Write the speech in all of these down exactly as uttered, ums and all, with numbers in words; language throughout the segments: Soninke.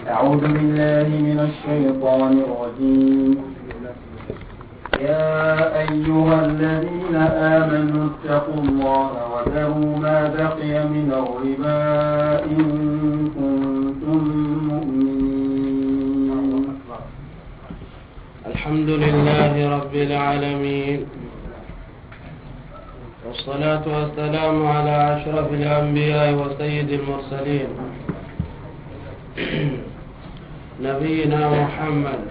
أعوذ بالله من الشيطان الرجيم. يا أيها الذين آمنوا اتقوا الله وذروا ما بقي من الربا إن كنتم مؤمنين. الحمد لله رب العالمين، والصلاة والسلام على أشرف الأنبياء وسيد المرسلين، نبينا محمد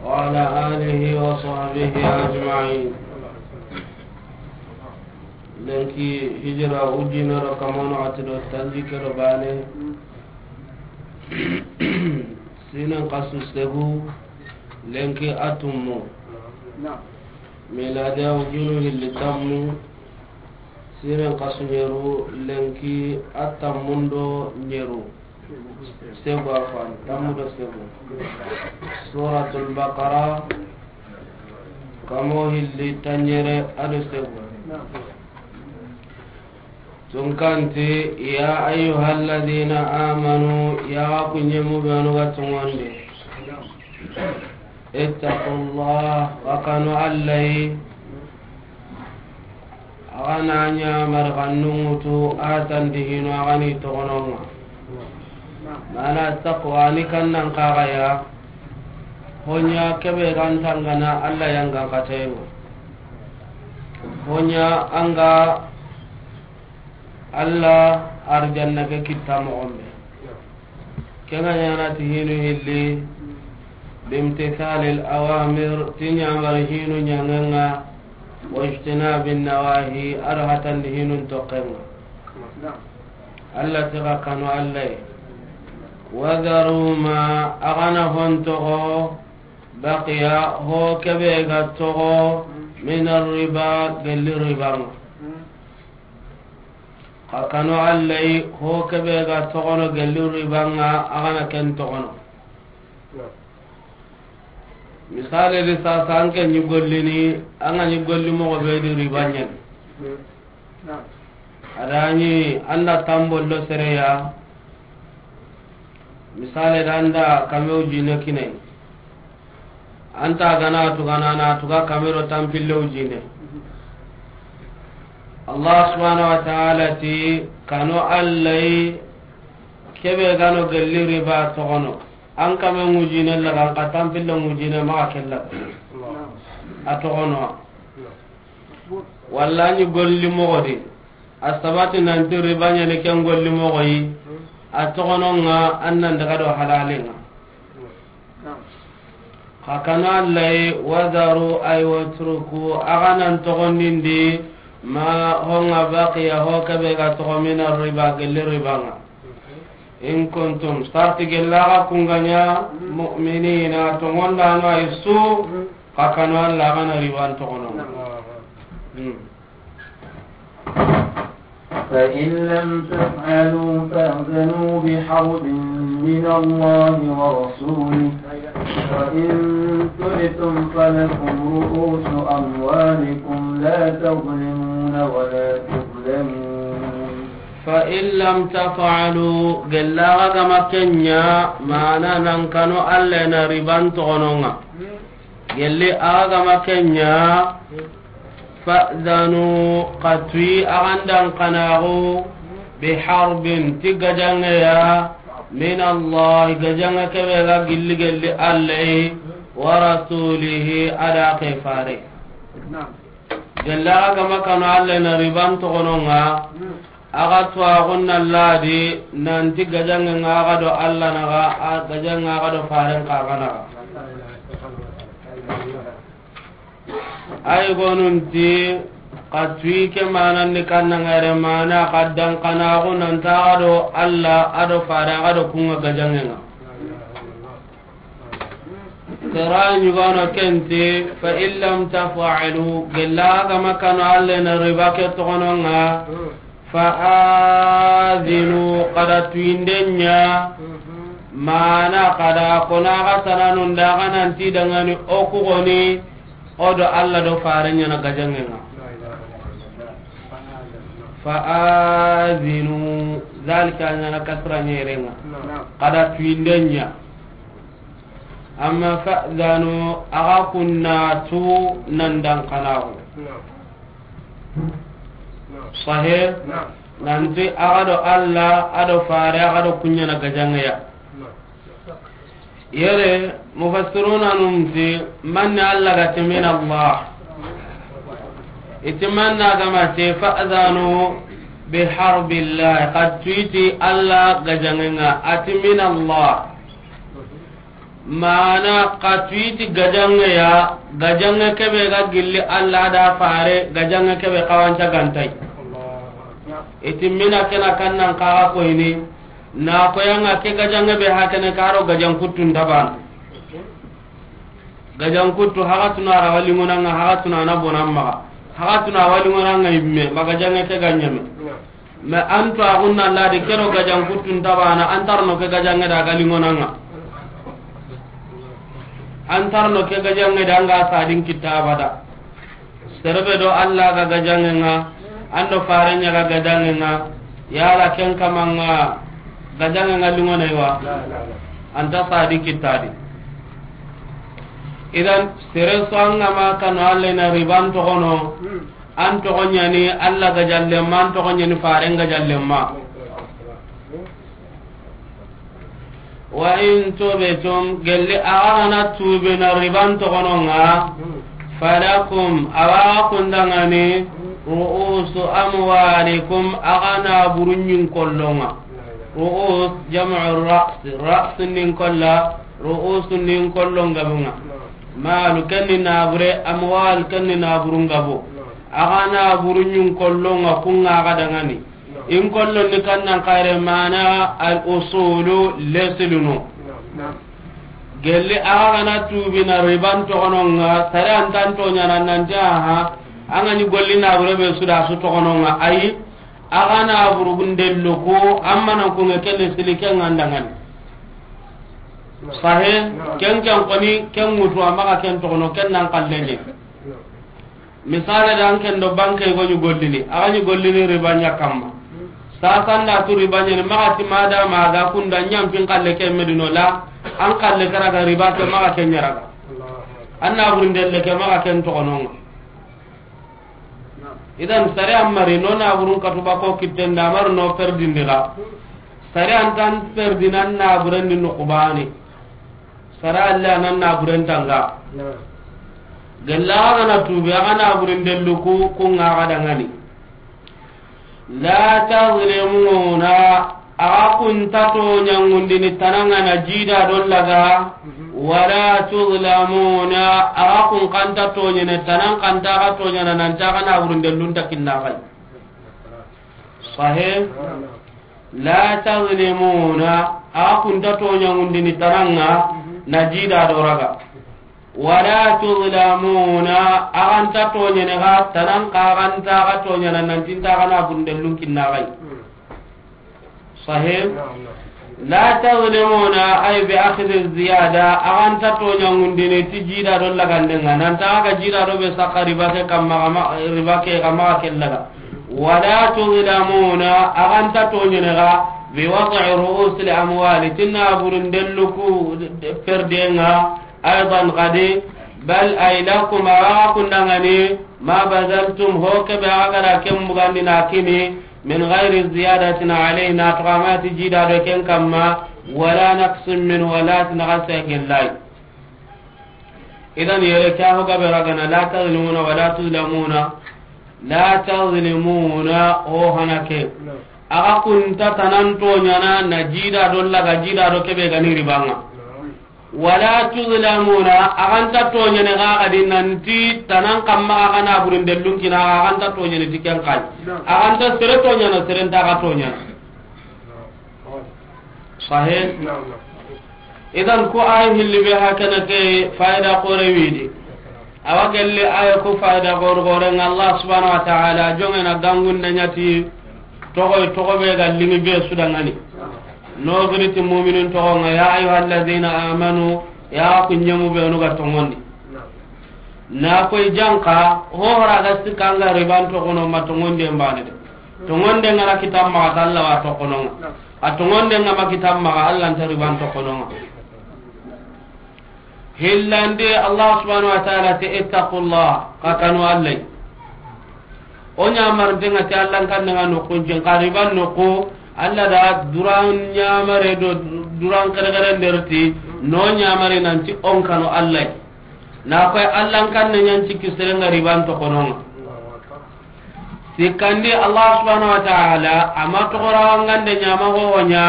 وعلى آله وصحبه أجمعين. Lenki hijira ujinero kamano atido tanjikero bane. Sinen kasu segu, lenki atummu. Miladiya ujunu hilli tammu. Sinen kasu nyeru, lenki atammundo nyeru. Segu afan, tammundo segu. Suratul Baqara, kamo hilli tanyere ado segu. Tunkanti, ya ayyuhalladhina amanu, ya kunyemu benu ga tungonde. Ittaqullah, wa kanu Allahi. Agana nya marganungutu atandi hino agani togononga. Mana taqwa ni kannan kagaya. Honya kebe gantangana Allah yangan katengo. Honya anga Allah arjanna ke kitta moxon be. Ke nga ɲana ti hinu hilli, bimtithalil awamir, ti ɲamari hinu ɲangenga, wajtinabin nawahi, ado hatandi hinun tokkenga. Allah ti xa kanu Allah ye. Wadaru ma, agana hon toxo, baqiya, ho kebe ga toxo, min arriba, gelli ribanga. Xa kanu Allah yi, ho kebe ga toxono gelli ribanga, agana ken toxono. Misale di sasa, an ke ɲi gollini, an ga ɲi golli moxo be di riba ɲani. Adani anda tambollo sereya, misale da anda kamew jine kinai. Anta gana tugana na tuga kamero tampillew jine. Allah subhanahu wa ta'ala ti, kanu Allah yi, kebe gano gelli riba toxono. An kame ŋujine laga, an ka tampille ŋujine maxa kella. A toxono. Walla ni golli moxo di. A sabati nanti riba ɲani ken golli moxo yi. A toxono nga an nan daga do halale nga. Xa kanu Allah yi, wadaru ay watruku, axa nan toxondindi, ma honga baqiya, ho kebe ga toxo mina riba, gelli riba nga. In kuntum, sarti gella ga kunganya, mu'minina, tongondano ay su, xa kanu Allah gana riban toxono. Hmm. فإن لم تفعلوا فأذنوا بحرب من الله ورسوله، وإن تبتم فلكم رؤوس أموالكم لا تظلمون ولا تظلمون. فإن لم تفعلوا، gella ga ma kenya, mana nan kanu Allah na riban toxononga. Gelli axa ga ma kenya, fa'zanu, xa tuyi axa ndan kanaxu, bi harbin, ti gajangeya, min Allah, gajange kebe ga gilli gelli Allah yi, wa rasulihi, ada ke fare. Gelli axa ga ma kanu Allah na riban toxononga, Axa tuwaxun na ladi nanti gajange nga axa do Allah naxa, a gajange nga axa do faren xa ga naxa. Ay gonunti xa tuyi ke manandi kannangare mana xa dankanaxu nanta axa do Allah, a do fare axa do kunga gajange nga. Sera ɲugano kenti, fa in lam taf'alu, gella ga ma kanu Allah na riba ke toxononga, fa azinu, xa da tuyindenya, mana xa da kona xa sananun da xa nanti dangani o ku goni, o do Allah do faren ɲana gajangenga. Fa'azinu, zalika a ɲaana kasra ɲerenga. Naam. Xa da tuyinde ɲa. Amma fa'zanu, axa kunna tu nan dan kanaxu. Naam. Naam. Sahe? Naam. Nanti axa do Allah, a do fare, axa do kuɲana gajangeya. Naam. Yere, mufassiruna num ti, manne Allah ga ti min Allah. I ti manna ga ma ti, fa'zanu bi harbillah, xa tu i ti Allah gajangenga, a ti min Allah. Mana xa tu i ti gajangeya, gajange kebe ga gilli Allah da fare, gajange kebe xawanca gantay. I ti mina kena kannan kaga koyni, Na koyanga ke gajange be hakene karo gajan kuttu ndabana. Gajan kuttu hagatuna ara walingonanga hagatuna na bonamma. Hagatuna walingonanga imme ma gajange ke ganyame. Ma anto agunna ladi kero gajan kuttu ndabana antarno ke gajange da galingonanga. Antarno ke gajange da anga sadin kitabada. Serebe do Allah ga gajangenga, ando farenya ga gajangenga, yala ken kamanga gajangenga lingone wa? Anta sadi kitadi. Idan, sere so anga ma kanu Allah na riban togono, an togo ɲani Allah gajallemma, an togo ɲani faren gajallemma. Wa in tubtum, gelli axa gana tuubina riban togononga, falakum, awa kundangani, ru'usu amwalikum, axa na burunyin kollonga. Ru'us, jam'u ra's, ra's nin kolla, ru'us nin kollon gabunga. Malu kenni nabure, amwal kenni naburun gabu. Axa na burunyin kollonga kunga axa dangani. In kollon ni kannan kare mana al usulu lesilunu. Gelli axa gana tuubina riban togononga, sare antan toɲana nanti aha, anga ni golli nabure be suda su togononga, ayi, axa na burugundellu ko, amma nan kunge kelle sili ken ngandangani. Sahe, ken ken koni, ken mutu, amma ka ken togono, ken nan kallenye. Misale da an ken do banke go ni gollini, axa ni gollini riba ɲa kamma. Sasa nda tu riba ɲa ni maxa ti mada maga kunda ɲampin kalle ke medino la, an kalle karaga riba ke maxa ke ɲaraga. An na burundelle ke maxa ken togononga. Idan sare amari no na burun katuba ko kitten da mar no perdindira. Sare antan perdinan na buren ni nukubani. Sara Allah nan na buren tanga. Gella axa gana tuubi, axa na buren dellu ku, ku nga axa dangani. La tazlimuna, axa kun ta toɲangundini tananga na jida don laga, wala tuzlamuna, axa kun kan ta toɲene tanan kan ta axa toɲana nan ta axa na buren dellun ta kinna xay. Sahe? La tazlimuna, axa kun ta toɲangundini tananga na jida do raga. Wala tuzlamuna, axa nta toɲene ga tanan ka axa nta axa toɲana nanti nta axa na burundellun kinna xay. Sahe? La tazlimuna, ay bi akhdhi ziyada, axa nta toɲangundini ti jida do lagandenga, nanta axa ga jida do be sakka riba ke kamma, riba ke kamma ke laga. Wala tuzlamuna, axa nta toɲene ga, bi wad'i ru'usil amwali, tinna burundellu ku perdenga, aydan gadi, bal ay lakum, axa kundangani, ma bazaltum, ho kebe axa gara ken bugandi na kini, min ghairi ziyadatin alayhi, na toxamati jida do ken kamma, wala naqsin min, wala tinaxa segellay. Idan yere ke ho gabe ragana, la tazlimuna wala tuzlamuna, la tazlimuna, o hana ke. Axa kun ta tanan toɲana na jida do laga jida do kebe gani ribanga. Wala tuzlamuna, axa nta toɲene ga gadi nanti tanan kamma axa na burundellun kina, axa nta toɲene ti ken xay. Axa nta sere toɲana, sere nta axa toɲana. Sahe? Idan ko ay hilli be hakana ke fayda xore widi. Awa gelle aya ko fayda xore xore nga Allah subhanahu wa ta'ala jongena gangun da ɲati toxo toxo be ga limi be sudangani. No giri ti mu'minun toxo nga ya ayyuhallazina amanu, ya ku ɲemu be no ga tongondi. Na koy janka ho hora ga sikanga riban toxono ma tongondi mbane de. Tongonde nga na kitan maxa, ta Alla wa toxono nga. A tongonde nga ma kitan maxa, Alla nta riban toxono nga. Hillandi, Allah subhanahu wa ta'ala ti, "Ittaqullah," xa kanu Alla. O ɲamarinte nga ti Alla n kanne nga noxun cin, xa riban noxu, Alla da duran ɲamare do duran xerexeren derti, no ɲamare nanti o n kanu Alla. Na koy Alla n kanne ɲan cikki sere nga riban toxono nga. Sikkandi, Allah subhanahu wa ta'ala a ma toxorawangande ɲama hoho ɲa,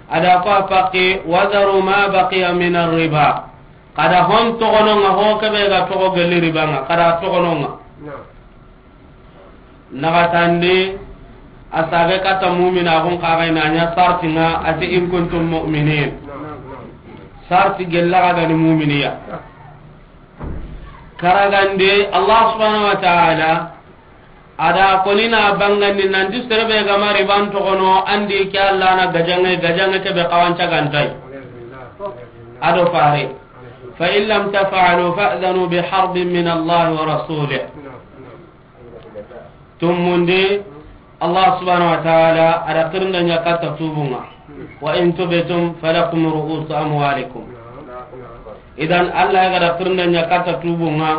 a da ko a paqi, "Wa dharu ma baqiya min ar-riba." Xa da hon toxono nga, ho kebe ga toxo gelli riba nga, xa da toxono nga. Naxatandi, a sabe katta mumina xun xa ga i na ɲa sarti nga, a ti, "In kuntum mu'minin." Sarti gella xa ga ni muminiya. Karagande, Allah subhanahu wa ta'ala a da koni na bangandi nanti serebe ga ma riban toxono, andi ke Alla na gajange, gajange kebe xawanca gantai. A do fare. "Fa in lam taf'alu fa'dhanu bi harbin min Allah wa rasulih." Tumundi, Allah subhanahu wa ta'ala a da xirinde ɲa katta tubun nga. "Wa in tubtum falakum ru'usu amwalikum." Idan, Allah ya ga da xirinde ɲa katta tubun nga.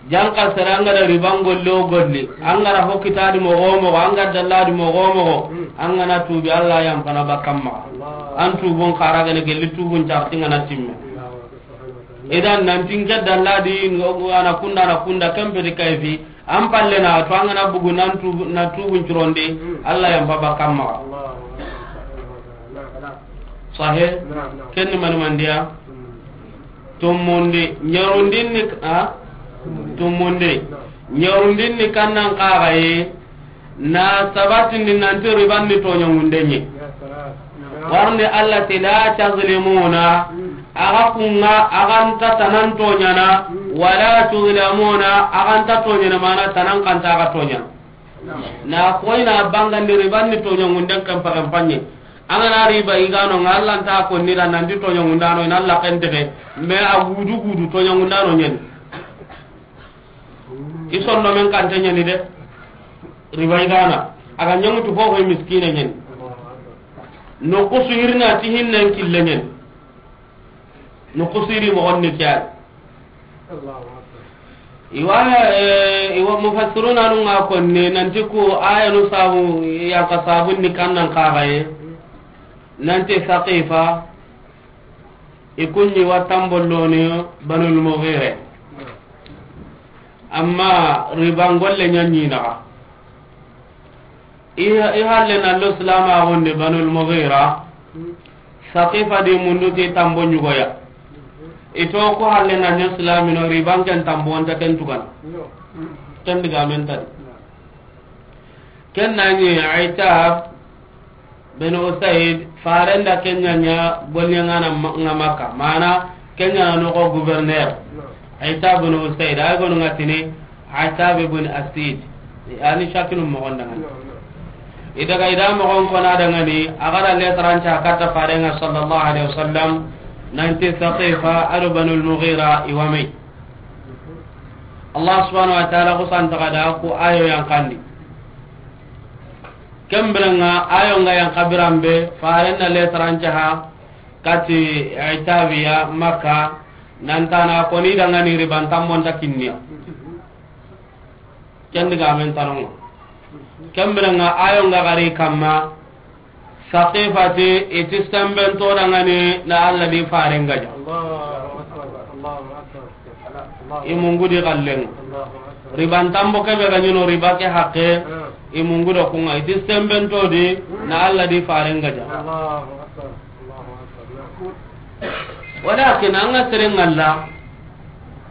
Janka sere an ga da riban golle o golle, an ga da ho kitadi moxo o moxo, an ga da dalladi moxo o moxo, an ga na tubi, Allah yan pana bakkan maxa. An tubun xara gane gelli tubun carti nga na timme. Idan, nanti n ke dalladi, ngo, ana kunda, ana kunda, kempe di kayfi, an palle na to, an ga na bugu nan tubu, na tubun curondi, Allah yan pa bakkan maxa. Sahe? Ken ni mani mandiya? Tumundi, ɲarundin ni, a? Tumundi. Ɲarundin ni kannan xaxaye, na sabatindi nanti riban ni toɲangunde ɲi. Warni Allah ti, "La tazlimuna," axa kunga, axa nta tanan toɲana, "wala tuzlamuna," axa nta toɲana, mana tanan kanta axa toɲana. Na koyna bangandi riban ni toɲangunden kan pagan panye. An ga na riba i ga no nga, Allah nta konni da nanti toɲangundano, i na Allah kentege, me a gudu gudu toɲangundano ɲeni. I sonno men kante ɲeni de. Riba i ga na, a ga ɲaŋutu fofo miskine ɲeni. No kusu hirna ti hinnen kille ɲeni. No kusiri moxon ni ke ya. Iwa, eh, iwa mufassiruna nu nga konni nanti ku ayanu sabu, yanka sabun ni kannan xaxaye. Nanti Saqifa, i kunni wa tambolloni Banul Mughira. Amma riban golle ɲa ɲi naxa. I, i halle na lo silamaxun di Banul Mughira, Saqifa di mundu ti tambo ɲugoya. I to ko halle na ɲa silamino, riban ken tambo nta ken tugana. Ken digamen ta di. Ken na ɲi Aitab bin Usaid, farenda ken ɲa ɲa golɲangana ma-, nga Makka. Mana ken ɲa na noxo gouverneur. Aitab bin Usaid, ay gonu nga tini Aitab bin Asid. Ani shakinu moxon dangani. I daga i da moxon kona dangani, a ga da lettre an ca katta farenga sallallahu alaihi wasallam, nanti Saqifa ado Banul Mughira i wa me yi. Allah subhanahu wa ta'ala ku santa ga da ku ayo yan kandi. Kembirenga ayo nga yan kabirambe, farenna lettre an ca ha, kati Aitabiya Makka, nantana koni dangani riban tambon ta kinniya. Ken digamen tanongo. Kembirenga ayo nga gari kamma, Saqifati iti semben to dangani na Allah di faren gaja. Allahu akbar, Allahu akbar. I mungu di kallen. Riban tambo kebe ga ɲino riba ke hakke. I mungu do kunga iti semben to di na Allah di faren gaja. Walakin an ga seren Allah,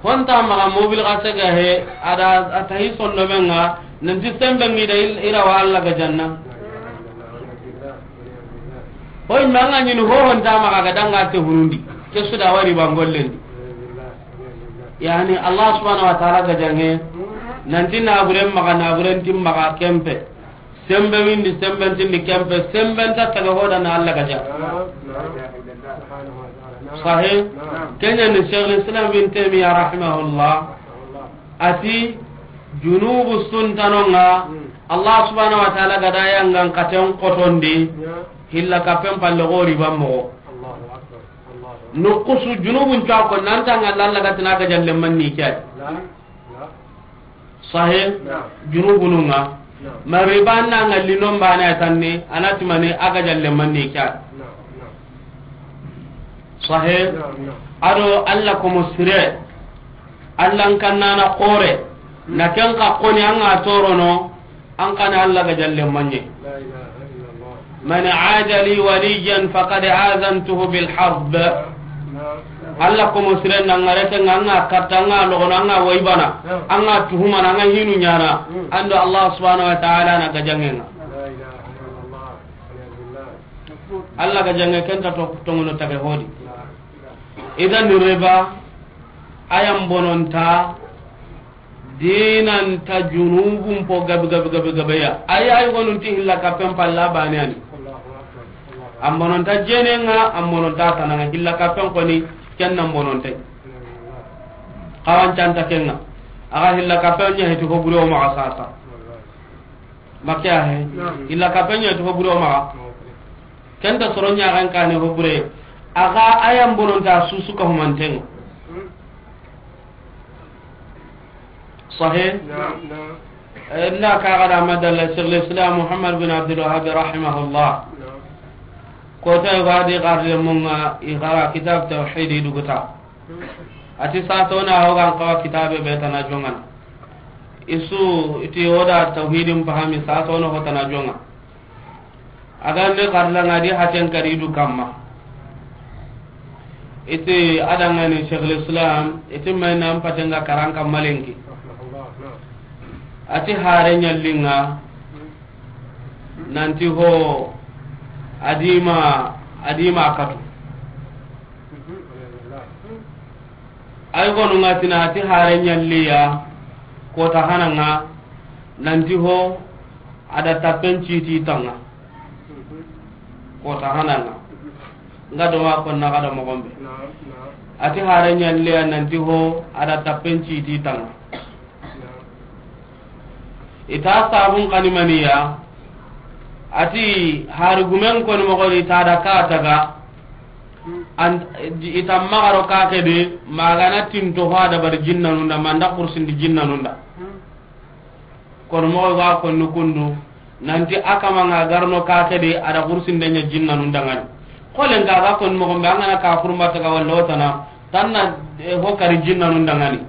honta maga mobil ga sega he, ada atahi sondo menga, nanti sembe ngi da il-, ira wa Allah ga janna. Hoy manga ɲini ho honta maga ga danga te hunundi, ke su da wari bangollendi. Yani Allah subhanahu wa ta'ala ga jange, nanti na buren maga, na buren tim maga kempe. Sembe windi, semben tindi kempe, semben ta taga hoda na Allah gaja. Sahe, kenya ni Sheikh Islam bin Taymiyyah rahimahullah, ati, junubu suntanonga, Allah subhanahu wa ta'ala ga da yangan katen kotondi, hilla kapen palle go riba moxo. Allahu akbar. Allahu akbar. Nukusu junubun cuwa ko nan ta ŋa lalla ga tana ga jalle manni kya. La, la. Sahe. Naam. Junubunu ŋa. Naam. Ma riba na ŋa linon bana tanni, anati mani a ga jalle manni kya. Naam, naam. Sahe. Naam, naam. Ado Allah ko mo sire. Allah n kannana kore. Na ken ka koni an ŋa torono. An kana Allah ga jalle manye. La ilaha illallah. Man aada li waliyan faqad azantuhu bil harb. Naam. Allah ko mo sire na ŋa rete ŋa ŋa katta ŋa logono ŋa waybana. Naam. Ŋa tuhumana ŋa hinu nyana. Hmm. Ando Allah subhanahu wa ta'ala na ga jangenga. La ilaha illallah. Waliyadu billah. Allah ga jange kenta to tongono tage hodi. Naam. Idan riba ayan bononta. Dinanta junubun po gabi, gabi, gabi, gabi ya. Ay, ay, gonun ti hilla kapen palla bani ani. An bononta jene ŋa, an bononta tana ŋa, hilla kapen koni, ken nan bononte. Kawan canta ken ŋa. Aga hilla kapen nya heti ko buro ma sasa. Makiya he. Naam. Illa ka penya to buro ma. Kenta soro nya kan kane ho bure. Aga ayan bononta susu ka humanten. Sahih? Naam, naam. Eh, na ka ga da madalla Sheikh al-Islam Muhammad bin Abdul Wahhab rahimahullah. Naam. Ko ta wadi garle munga igara kitab tawhid duguta. Ati sato na hogan kawa kitabe be tana jongana. Isu iti oda tawhidin pahami sato no hotana jonga. Aga ne karla ngadi haten karidu kamma. Iti adangani Sheikhul Islam, iti mayna mpatenga karanka malenki. Ati hare nyallinga nanti ho adima, adima katu. Ay gonu nga tina ati hare nyalliya kota hananga nanti ho ada tapen citi tanga kota hananga nga do ma konna kada mogombe ati hare nyalliya nanti ho ada tapen citi tanga. Ita sabun kani maniya ati hari gumen koni mogoni ita da ka taga an ita magaro ka kede magana tinto ho da bar jinnanunda manda kursindi jinnanunda. Kono mogo ga konni kundu nanti akama nga garno ka kede ada kursinde nya jinnanunda ngani. Kolen ga ga konni mogo be angana ka kurumba taga walla wotana tanna ho kari jinnanunda ngani.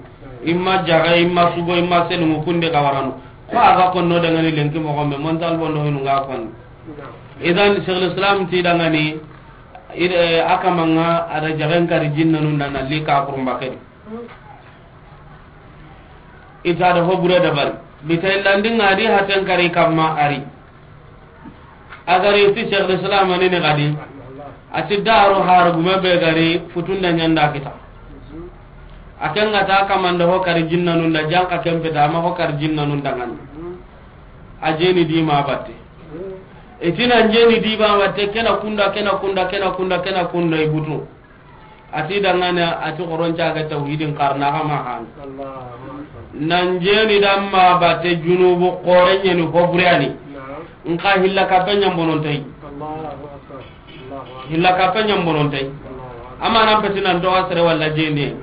Imma jaga, imma sugo, imma selungu kunde ga warano. Ko a ga konno dangani lenki moxo me, montal bondo hinu nga konni. Idan Sheikhul Islam ti dangani, ide, a kamanga ada jagen kari jinnanunda na li ka kurumba kedi. Ita da ho bure dabari. Bita illandinga di haten kari kamma ari. A gari ti Sheikhul Islam ni ne gadi. A ti daru har gume be gari futunda nyanda kita. A ken ga ta kamanda ho kari jinnanunda janka kempe da ma ho kari jinnanunda ngani. A jeni di ma batte. Itina jeni di ma batte kena kunda, kena kunda, kena kunda, kena kunda ibutu. Ati dangana ati xoronca ga tawhidin karna ga ma han. Nan jeni damma bate junubu xorenyeni hoburani. Nka hilla kape nyambonon tay. Hilla kape nyambonon tay. Amma nan peti nan doga sere walla jeni.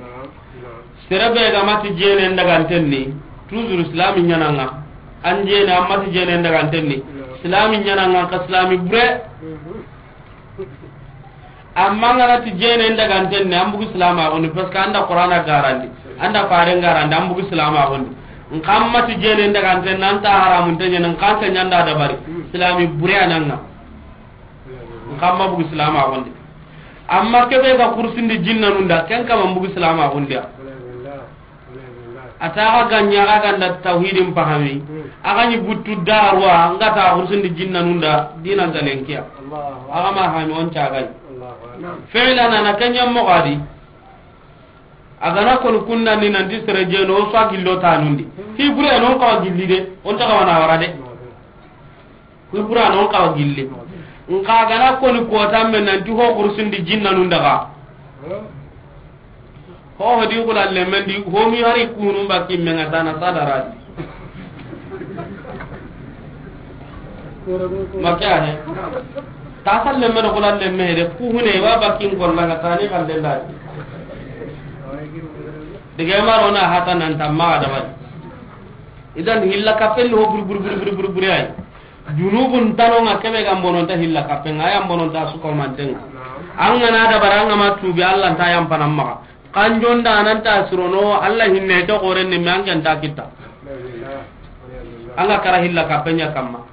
Sere be ga mati jeni ndaga antenni. Toujours islami nyananga. An jeni amati jeni ndaga antenni. Islami nyananga ka islami bure. Amma ngana ti jene ndaga antenne an bugu silama goni, parce que anda Qur'ana garandi, anda fare garandi an bugu silama goni. Nkamma ti jene ndaga antenne anta haramun tanya nan kanta nyanda da bari. Silami bure ananga. Nkamma bugu silama goni. Amma kebe ga kursindi jinnanunda ken kama bugu silama goni. A ta ga ganya ga ganda tawhidin pahami. A ga ni buttu darwa nga ta hursindi jinnanunda dinan galenkiya. A ga ma hami on ta ga. Fi'lan ana kanya mogadi. A ga na kon kunna ni nan di sere jeno so gillo tanundi. Hi bure non ka gilli de on ta ga wana wara de. Kuy bura non kawa gilli. Nka gana koni kota men nanti ho kursindi jinnanun daga. Ho hodi kula lemendi ho mi hari kunu baki menga tana sadaradi. Maka he. Ta salle me do kula le me de ku hune wa bakin golla ga tani kan de la. Dige maro na hata nan tamma da ba. Idan hilla kapen ho bur bur bur bur bur bur ay. Junubun tano nga kebe ga mbonon ta hilla kapen nga ya mbonon ta suko mantenga. An ga na da baranga ma tubi Allah ta yam panamma. Kanjon da nan ta surono Allah hinne to goren ni me an kan ta kita. An ga kara hilla kapen ya kamma.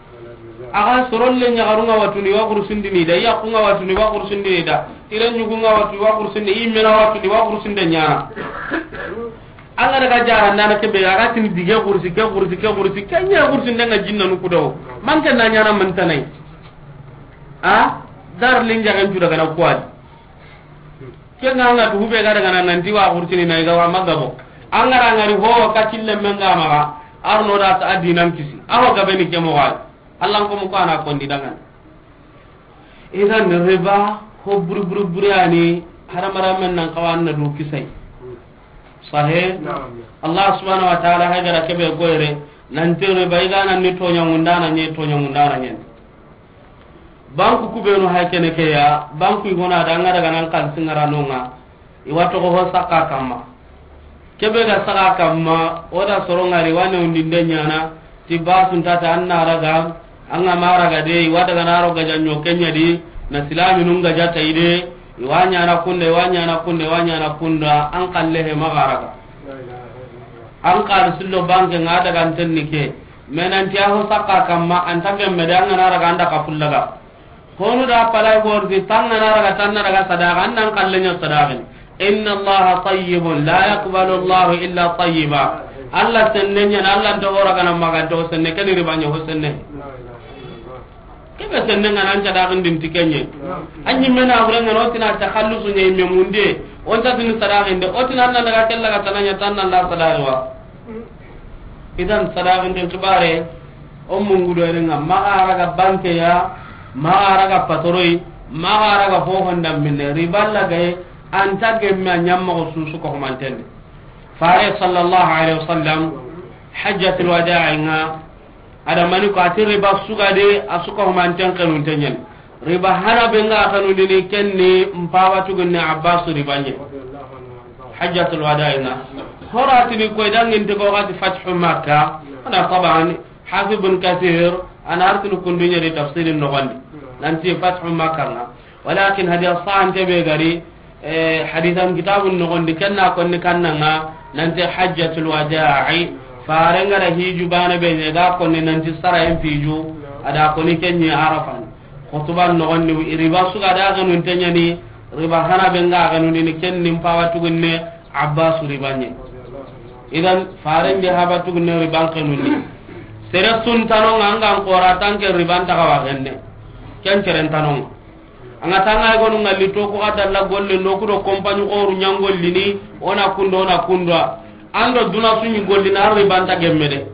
Aga soron le ɲagarunga watuni wa kursindini da, yakunga watuni wa kursindini da, iren ɲugunga watu wa kursindi, immena watuni wa kursinde ɲana. An ga daga jara ndana kebe, aga tini dige kursi, ke kursi, ke kursi, ke ɲa kursi ndenga jinna nu kudo. Manke na ɲana mantanai. A? Dar linja kan juda gana kuwadi. Ke nga nga tu hube ga daga nan nanti wa kursini na iga wa magabo. An ga ra ngari ho ka kille menga maga. Arno da ta adinan kisi. Aho gabe ni ke mo gal. Allah ko mu ko ana kondi dangan. Idan riba ho buru buru buru yani haramara men nan kawan na du kisai. Sahe. Naam. Allah subhanahu wa ta'ala hagara kebe goyre nan te riba igana ni tonya ngundana ni tonya ngundana nyen. Banku kubenu hay kene ke ya, banku igona da nga daga nan kan singara nonga. Iwa togo ho saka kamma. Kebe ga saka kamma, o da soro ngari wane undinde ɲana, ti basun tata an na raga, an ga ma raga de, iwa daga na ro gaja ɲo kenya di, na silami nun gaja ta ide, iwa ɲana kunda, iwa ɲana kunda, iwa ɲana kunda, an kalle he maga raga. An kal sillo banke nga daga antenni ke, menanti a ho saka kamma, an ta gemme de, an ga na raga an da ka fullaga. Honu da palai borti, tangana raga, tanna raga sadaqa, annan kallenya sadaqin. Inna Allaha tayyibun, la yaqbalu Allahu illa tayyiba. Allah sennenya, Allah nta hora gana maganta ho senne, kani ribanya ho senne. Kebe senne ngana an sadaqin din tikenye. Anyi mena hore ngana otina takhallusu nye me munde, onta din sadaqin de, otina anna daga kella ga tananya tanna la sadaqwa. Idan sadaqin din kibare, o mungudo erenga, maga raga banke ya, maga raga patoroi, maga raga ho honda minne, riba lagaye, anta gemme a ɲamma ko susu ko humantende. Fare sallallahu alaihi wasallam, hajjatul wada'i nga, ada mani ko ati riba sugade, a suka humanten kanun tenyen. Riba hana be nga kanu dini kenni mpaba tugunne Abbas riba nye. Hajjatul wada'i nga. Horatini koy dangin te ko gati Fathu Makkah. Ana taban, Hafiz bin Kathir, ana artini kundunya di tafsirin no gandi. Nanti Fathu Makkah nga. Walakin hadiya sahante be gari, eh, hadithan kitabun no gondi kenna konni kannanga, nanti Hajjatul Wada'i, farenga da hiju bana be ne ga konni nanti sara en fiju, ada konni kenni Arafan. Khutuban no gondi riba suga da ganun tenyani, riba hana be nga ganun ni kenni mpawa tugunne, Abbas ribanye. Idan, faren de haba tugunne riban kanunni. Sere sun tanonga angan kora tanke riban taga wa genne. Ken seren tanonga. Anga tanga gonu ngalli to ko adalla golle no kudo kompani oru ɲangollini, ona kundo, ona kunda. Ando duna suɲi gollina riban ta gemme de.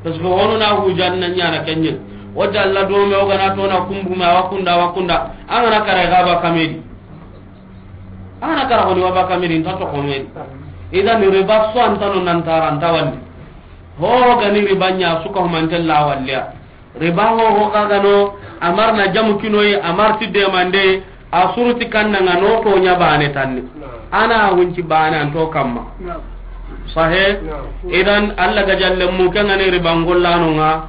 Parce que hono na hujan na ɲana kenyen. O dalla do me o gana to na kumbu ma wa kunda, wa kunda. Angana kare gaba kamedi. Ana kara honi waba kamiri nta to komedi. Idan riba so antano nan taranta wandi. Ho gani riba nya suka humantella walliya. Riba ho ho kagano amar na jamu kinoyi amar ti demande a suruti kannanga no to nya bane tanni. Ana hunci bane anto kamma. Sahe. Idan Allah ga jalle mu kengani riba ngollano nga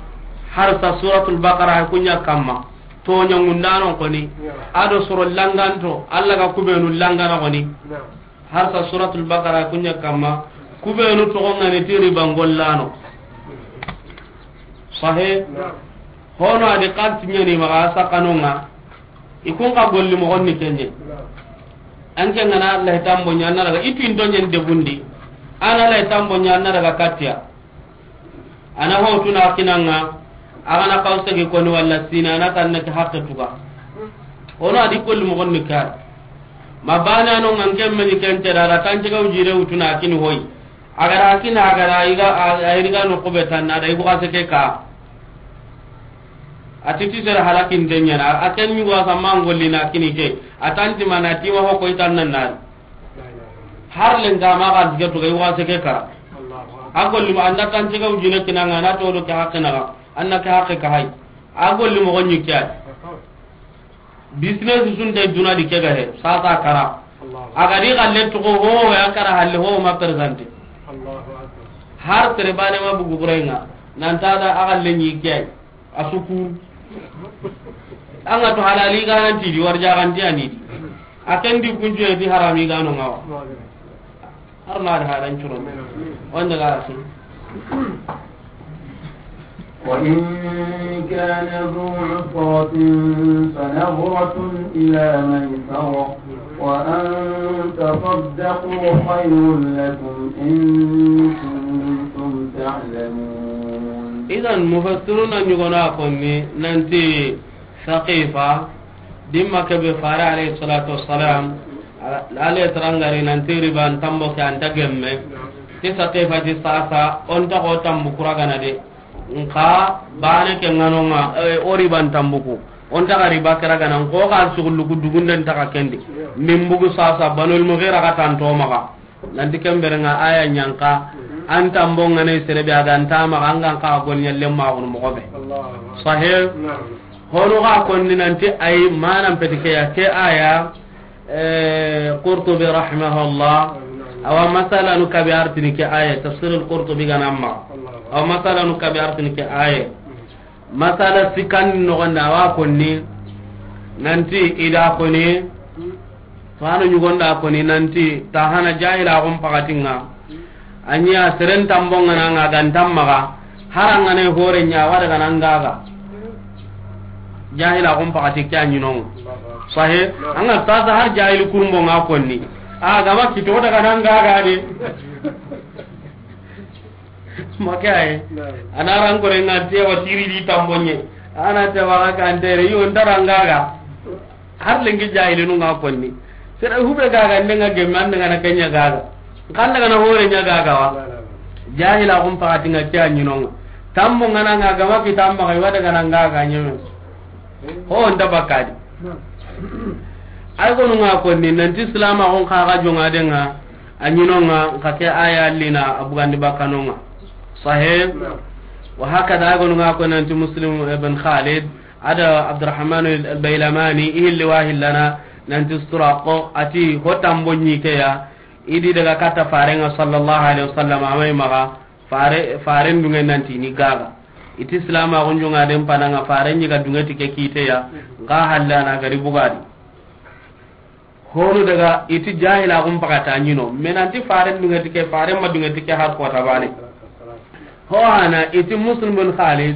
har sa suratul baqara kunya kamma. Toɲa ŋundanon koni, ado soro langanto, Allah ga kubenu langana koni. Har sa suratul Baqara kunya kamma, kubenu togo ngani ti riba ngollano. Sahe, hono adi kalti ɲani maga sakanonga, ikun ka golli mogonni kenye. Anke ngana Allah tambo ɲana daga itu indo ɲen debundi, ana Allah tambo ɲana daga katia. Ana ho tuna kinanga, agana kaw segi koni walla sina na tanna ke hakke tuga. Ono adi kolli mo gonni kar. Ma bana no ngan kem meni kente da, da tanche ga ujire utuna kini hoy. Agara kina agara iga a iriga no kube tanna da ibu kase ke ka. Atiti sera halakin denyana, aken ni wasa mangolli na kini ke. Atanti mana tiwa ho koy tanna na. Har lenga ma ga dige to ga iwa se ke kara. A golli ma anda kan tiga ujine kinanga na to do ke hakke na ga. Anna ke hakke ka hay. A golli moxo ɲi ke ya. Business sunte duna di ke ga he, sasa kara. Allahu. A ga di xalle toxo ho, ya kara halle ho ma présenter. Allahu akbar. Har tere bane ma bugu burenga, nan ta da a xalle ɲi ke ya. A suku. An ga to halali ga nan ti di, warja ga nan ti ani di. A ken di kunju e di harami ga no ŋa wa. Har na da halan curon. Wanda ga su. وإن كان ذو عسرة فنظرة إلى ميسرة وأن تصدقوا خير لكم إن كنتم تعلمون. Idan, mufassiruna ɲugona konni nanti Saqifa, dimma kebe fare alayhi salatu wassalam, ala, ale tarangari nanti riban tambo ke anta gemme. Ti Saqifa ti sasa, onta ko tambu kuragana de. Nka bane ke ŋanonga, eh, o riban tambuku. Onta ga riba kera gana, nko ga sugulluku dugunden ta ga kendi. Min bugu sasa, Banul Mughira ga tanto maga. Nanti kembere nga aya ɲanka, an tambo ngane sere be a ga nta maga, an ga nka gol ɲalle ma gunu mogo be. Sahih? Honu ga konni nanti ay manan peti ke ya, ke aya, eh, Qurtubi rahimahullah, awa masalanu kabi artini ke aya, tafsir al-Qurtubi ganamma. Awa masalanu kabi artini ke aya. Masala sikandi noxondi, awa konni nanti ida koni, fano ɲugonda koni nanti tahana jahila xum pakatinga. A ɲi a seren tambongana nga gantan maga, harangane hore ɲa wada gana ngaga. Jahila xum pakati ke a ɲinonga. Sahe, anga sasa har jahili kurumbo nga konni. A gama kito daga nan ngaga de. Make aye. Ana ran kore nga te wa tiri di tambonye. Ana te wa ka antere yo ndara ngaga. Har lengi jahilinu nga konni. Sere hube gaga ndenga gemme ande ngana kenya gaga. Kanda ngana hore nya gaga wa. Jahila xum pakati nga ke a ɲinonga. Tambo ngana nga gama ki tamba kai wada ngana ngaga nyeme. Ho nda bakadi. Ay gonu nga konni nanti silama xon kaga jonga denga. A ɲinonga, nka ke aya lina, a bugandi bakanonga. Sahih? Naam. Wa hakada, a gonu nga ko nanti Muslim ibn Khalid, ada Abdurrahman al-Baylamani, ihilli wa hillana, nanti Suraqo, ati hotambo ɲi ke ya, idi daga kata farenga sallallahu alaihi wasallam, amai maga, fare, faren dunge nanti ni gaga. Iti silama gunjunga den pananga, faren ɲi ga dunge ti ke kite ya, nga hallana gari bugadi. Honu daga iti jahila xum pakata ɲino. Menanti faren dunge ti ke, faren ma dunge ti ke har kota bane. Ho hana iti Muslim bin Khalid,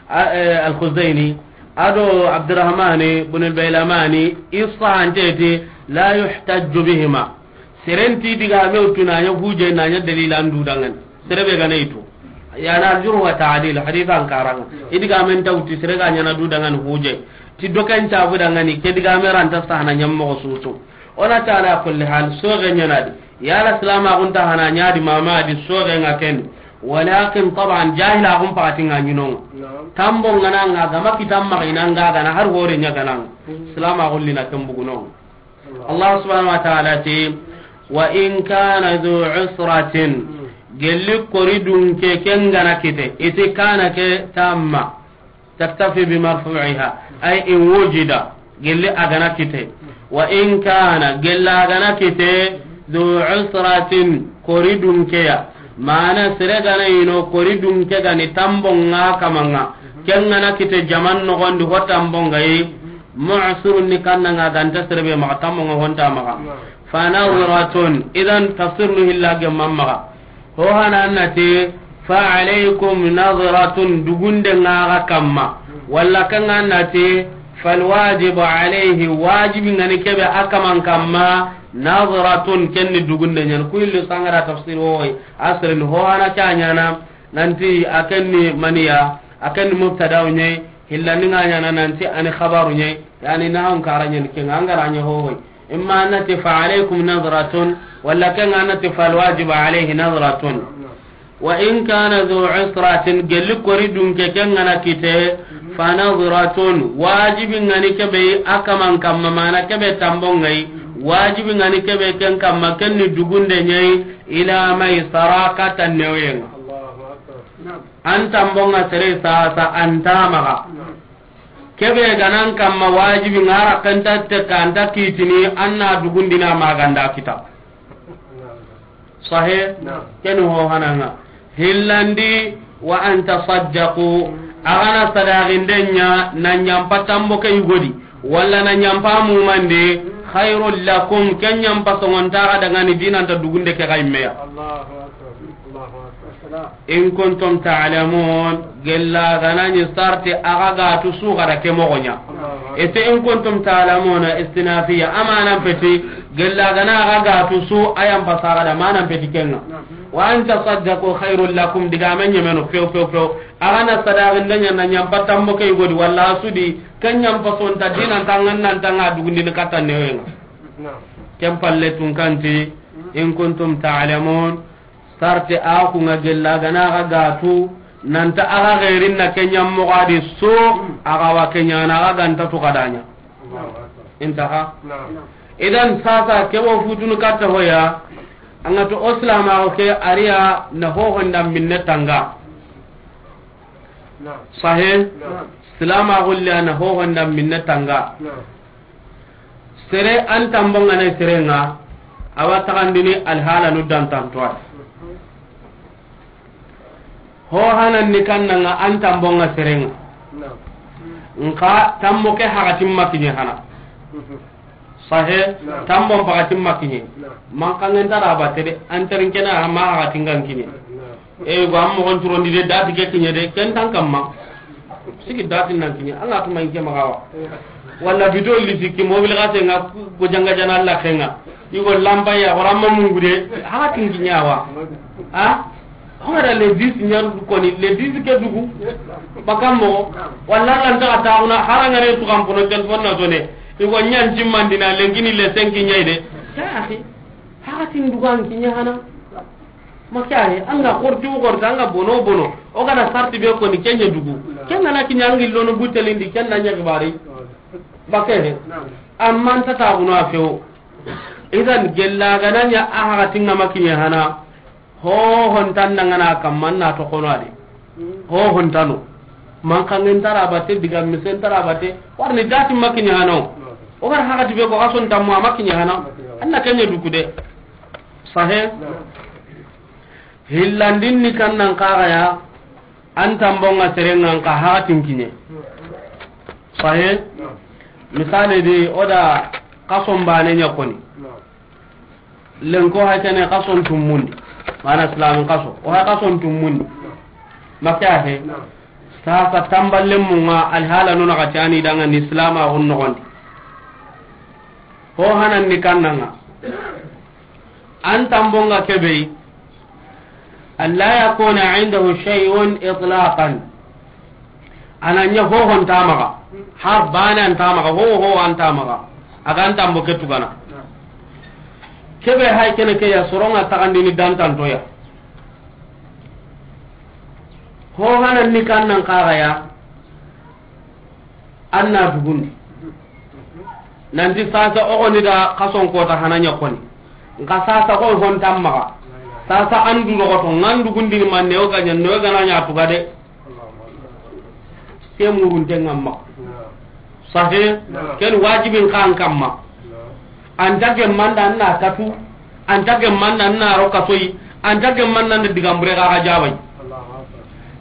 a, eh, al-Khuzaini, ado Abdurrahmani bin al-Bailamani, isa anteti la yuhtajju bihima. Serenti diga me utuna nya huje na nya dalila ndu dangan. Sere be gana itu. Yana al-jurh wa ta'dil, hadith an karanga. Idiga men tawti sere ga ɲana du dangan huje. Ti doken cabu dangani, ke diga me ranta sahana ɲammo susu. Ona ta ala kulli hal, soge ɲana di. Yala silama gunta hana ɲa di mama di soge nga ken. Walakin taban jahila gun pakati nga ɲinonga. Naam. Tambo ngana nga gama kitam ma ina nga gana har hore ɲa gana. Hmm. Silama gulli na tambuguno. Allah subhanahu wa ta'ala ti, "Wa in kana dhu usratin," gelli kori dunke ken gana kite, iti kana ke tamma, taktafi bi marfu'iha, ay in wujida, gelli a gana kite. Wa in kana, gella a gana kite, dhu usratin, kori dunke ya, mana sere gana ino kori dunke gani tambo nga kamanga, ken gana kite jaman nogondi ho tambo nga yi, Mu'sirun ni kanna nga ganta serebe maxa tammo nga honta maxa. Naam. Fa nadratun, idan tafsir nu hilla gemma maxa. Ho hana annati, fa alaykum nadratun, dugunde nga ga kamma. Walla kan annati, fal wajibu alayhi, wajibi ngani kebe a kaman kamma, nadratun, kenni dugunde ɲan. Ku illu sangara tafsir woy, asrin ho hana ca ɲana, nanti a kenni maniya, a kenni mubtada ɲay, hillandi nga ɲana nanti ani khabaru ɲay, yani nahawun kara ɲani kenga, an gara ɲa hohoy. Imma annati fa alaykum nadratun, walla kenga annati fal wajibu alayhi nadratun. Wa in kana dhu usratin, gelli kori dunke kenga na kite, fa nadratun, wajibi ngani kebe a kaman kamma, mana kebe tambo ngai, wajibi ngani kebe ken kamma, kenni dugunde ɲay, ila maysara kata neweyenga. Allahu akbar. Naam. An tambonga sere sasa an tamaga. Kebe ganan kamma wajibi ŋa ra kanta te kanta kitini anna dugundina maganda kita. Sahe? Naam. Ken ho hananga. Hillandi wa an tasaddaqu. Agana sadaqindenya na nyampa tambo ke yugodi. Walla na nyampa mumande. Khairul lakum. Ken nyampa songonta ga dangani dinanta dugunde ke ga immeya. Allahu akbar. Allahu akbar. In kuntum ta'lamun, gella ganani sarti aga ga tu su gada ke mogonya. Ete in kuntum ta'lamuna istinafiya, amanan peti, gella gana aga ga tu su ayan pasaga da manan peti kenga. Wa an tasaddaqu khairul lakum, diga men yemeno, few, few, few. Agana sadaqindenya na nyampa tambo ke yugodi, walla sudi, ken nyampa sonta dinan tangan nan tanga dugundini kata newenga. Ken palle tun kanti, in kuntum ta'lamun, sarti a ku nga gella gana aga ga tu, nanta aga gerin na kenya mogadi so, aga wa kenya na aga ganta tu kadanya. Intaha. Idan sasa ke wo futunu katta hoya, anga to oslama o ke ariya na ho honda minne tanga. Sahe? Silama gulle na ho honda minne tanga. Sere an tambonga ne serenga, awa tagandini alhala nu dan tantoa. Ho hanan ni kannanga an tambonga serenga. Nka tambo ke hakatin makiñe hana. Sahe, tambon pakatin makiñe. Man kangen tara bate de, an tarinkena ma hakatin gan kiñe. E go am mogon turondi de dati ke kiñe de ken tan kamma. Sigi dati nan kiñe anga tuma inke magawa. Walla bito li sikki mobil ga tenga go janga jana la kenga. Igo lamba ya wara ma mungude ha tin kiñawa. Ha? Hora le dix ñaru koni le dix ke dugu. Bakammo walla lan ta ta una haranga ne tu kampono telephone na sone. Igo ñan jimmandina lengini le cinq ñayde. Ya akhi. Hakatin dugan kiñe hana. Makare anga korti o korti anga bono bono. O gana sarti be koni kenya dugu. Kenga na kiñe angi lono butelindi kenna ña gibari. Bakere. Amman ta ta buno afewo. Idan gella gananya a hakatin nga makiñe hana. Ho hontan nangana kamman na to kono ade. Ho hontano. Man kangen tara bate diga misen tara bate. Warni dati makiñe hana. O gar hakati be ko kason tamma makiñe hana. Anna kenya dukude. Sahe. Hillandin ni kannan kagaya. An tambonga serengan ka hakatin kiñe. Sahe. Misale di oda kason bane ña koni. Lenko hay tene kason tumundi. Mana islamin kaso o hay kason tumundi. Makke ahe. Sasa tamballen munga alhala nuna kati ani danga ni islama gon nogondi. Ho hanan ni kannanga. An tambonga kebe. Alla yakuna indahu shay'un itlaqan. Ananya hohon tamaga. Har bana an tamaga ho ho an tamaga. Agan tambo ke tugana. Kebe hay kene ke ya soronga tagandini dantantoya. Ho hanan ni kannan kagaya. Anna dugundi. Nanti sasa o goni da kason kota hananya koni. Nka sasa ko hon tammaga. Sasa an du rogoto ngan dugundini manne o ganya no gana nya tuga de. Ke murunte ngamma. Sahe. Ken wajibin kan kamma. Anta gemmanda anna katu. Anta gemmanda anna ro kasoyi. Anta gemmanda anda digambure ga ga jabay.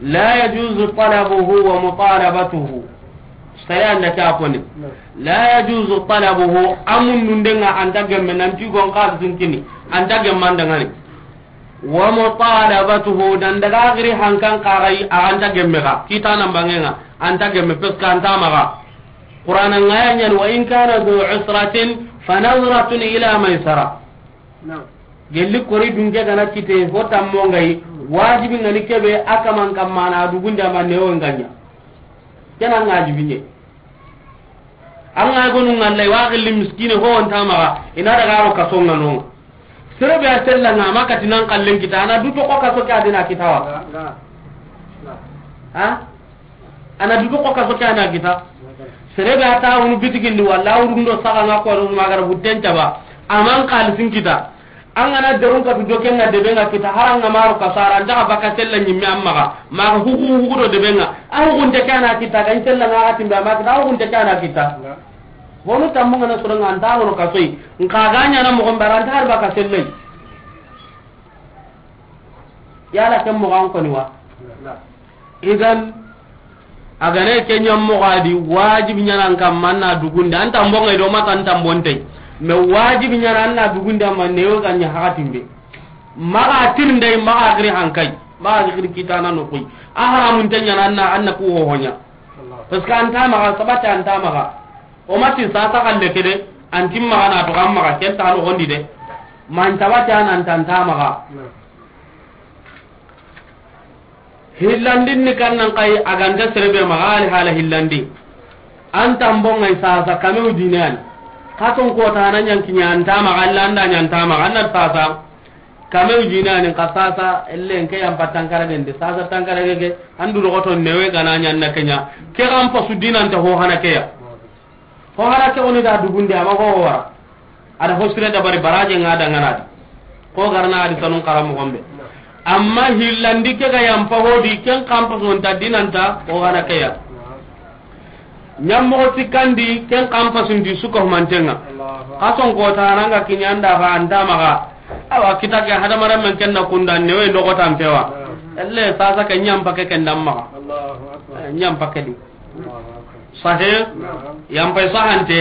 La yajuzu talabuhu wa mutalabatuhu. Sare anda ke a koni. La yajuzu talabuhu, amun nundenga anta gemme nanti gon ka zunkini. Anta gemmanda ngani. Wa mutalabatuhu, dan daga giri hankan kagai a anta gemme ga. Kita nan bangenga anta gemme peska anta maga. Qur'ana ngaya nyan wa in kana dhu usratin fa nadhratun ila maisara. Gelli kori dunke gana kite ho tammo ngai wajibi ngani kebe akaman kamana dugunda manne o nganya. Kena ngaji binye. An ga gonu ngalla wa gelli miskine ho on tamaga ina daga ro kaso ngano. Sere be a sella nga makati nan kallen kita ana du to ko kaso ke adina kitawa. Ha? Ana du to ko kaso ke ana kita. Sere be ata unu bitigindi walla urundo saga nga ko ru magara buten taba. Aman kalisin kita. An ga na derun katu do ken ŋa debe ŋa kita, hari an ga maro kasara, an ta xa baka sella ɲimme an maxa, maxa hugu hugu do debe ŋa. A hugunte ke a na kita, ga n sella ŋa xa timbe, a ma kita, a hugunte ke a na kita. Honu tammu ŋa na soro ŋa, an ta hono kasoyi. N xa ga ɲaana moxo n bara, an ta hari baka sellai. Yala ken moxo an koni wa? Idan, a ga ne ke ɲa moxo a di, wajibi ɲaana an kamma an na dugundi. An tambon ŋa i do ma tan tambon te. Mais wajibi ɲaana an na dugundi, amma newe ga ɲa haxatin be. Maxa tirindai, maxa giri hankai, maxa giri kitana no koy. A haramun te ɲaana an na, an na ku ho ɲa. Parce que an ta maxa, sabati an ta maxa. O ma ti sasa xalle ke de, an ti maxa na to, an maxa ken ta no gondi de. Man tabati an an ta maxa. Hillandin ni kan nan kai a ga nta sere be maxa ali hala hillandi. An tambon ŋa i sasa kame u dinan. Katon ko ta na ɲan kiɲa an ta maxa, Allah an da ɲan ta maxa, an na sasa. Kame u dinan ka sasa, ellen ke yan patan kara gende, sasa tan kara gege, an du rogoto newe ga na ɲan na kenya. Ke ga n pasu dinan ta ho hana ke ya. Ho hana ke woni da dugunde, a ma ho wara. A da ho sire dabari baraje ŋa da ŋa na di. Ko garna a di sanun kara moxo be. Amma hillandi ke ga yan pa ho di, ken xa n pasu nta dinan ta, ho hana ke ya. Ɲa moxo sikkandi, ken xa n pasu nti su ko manten ŋa. Kason ko ta na ŋa kiɲa an da fa an ta maxa. Awa kita ke hadamaren men ken na kunda newe ndo ko tan pewa. Elle sasa ke ɲa n pa ke ken da maxa. Eh, ɲa n pa ke di. Sahe, yan pay sahante,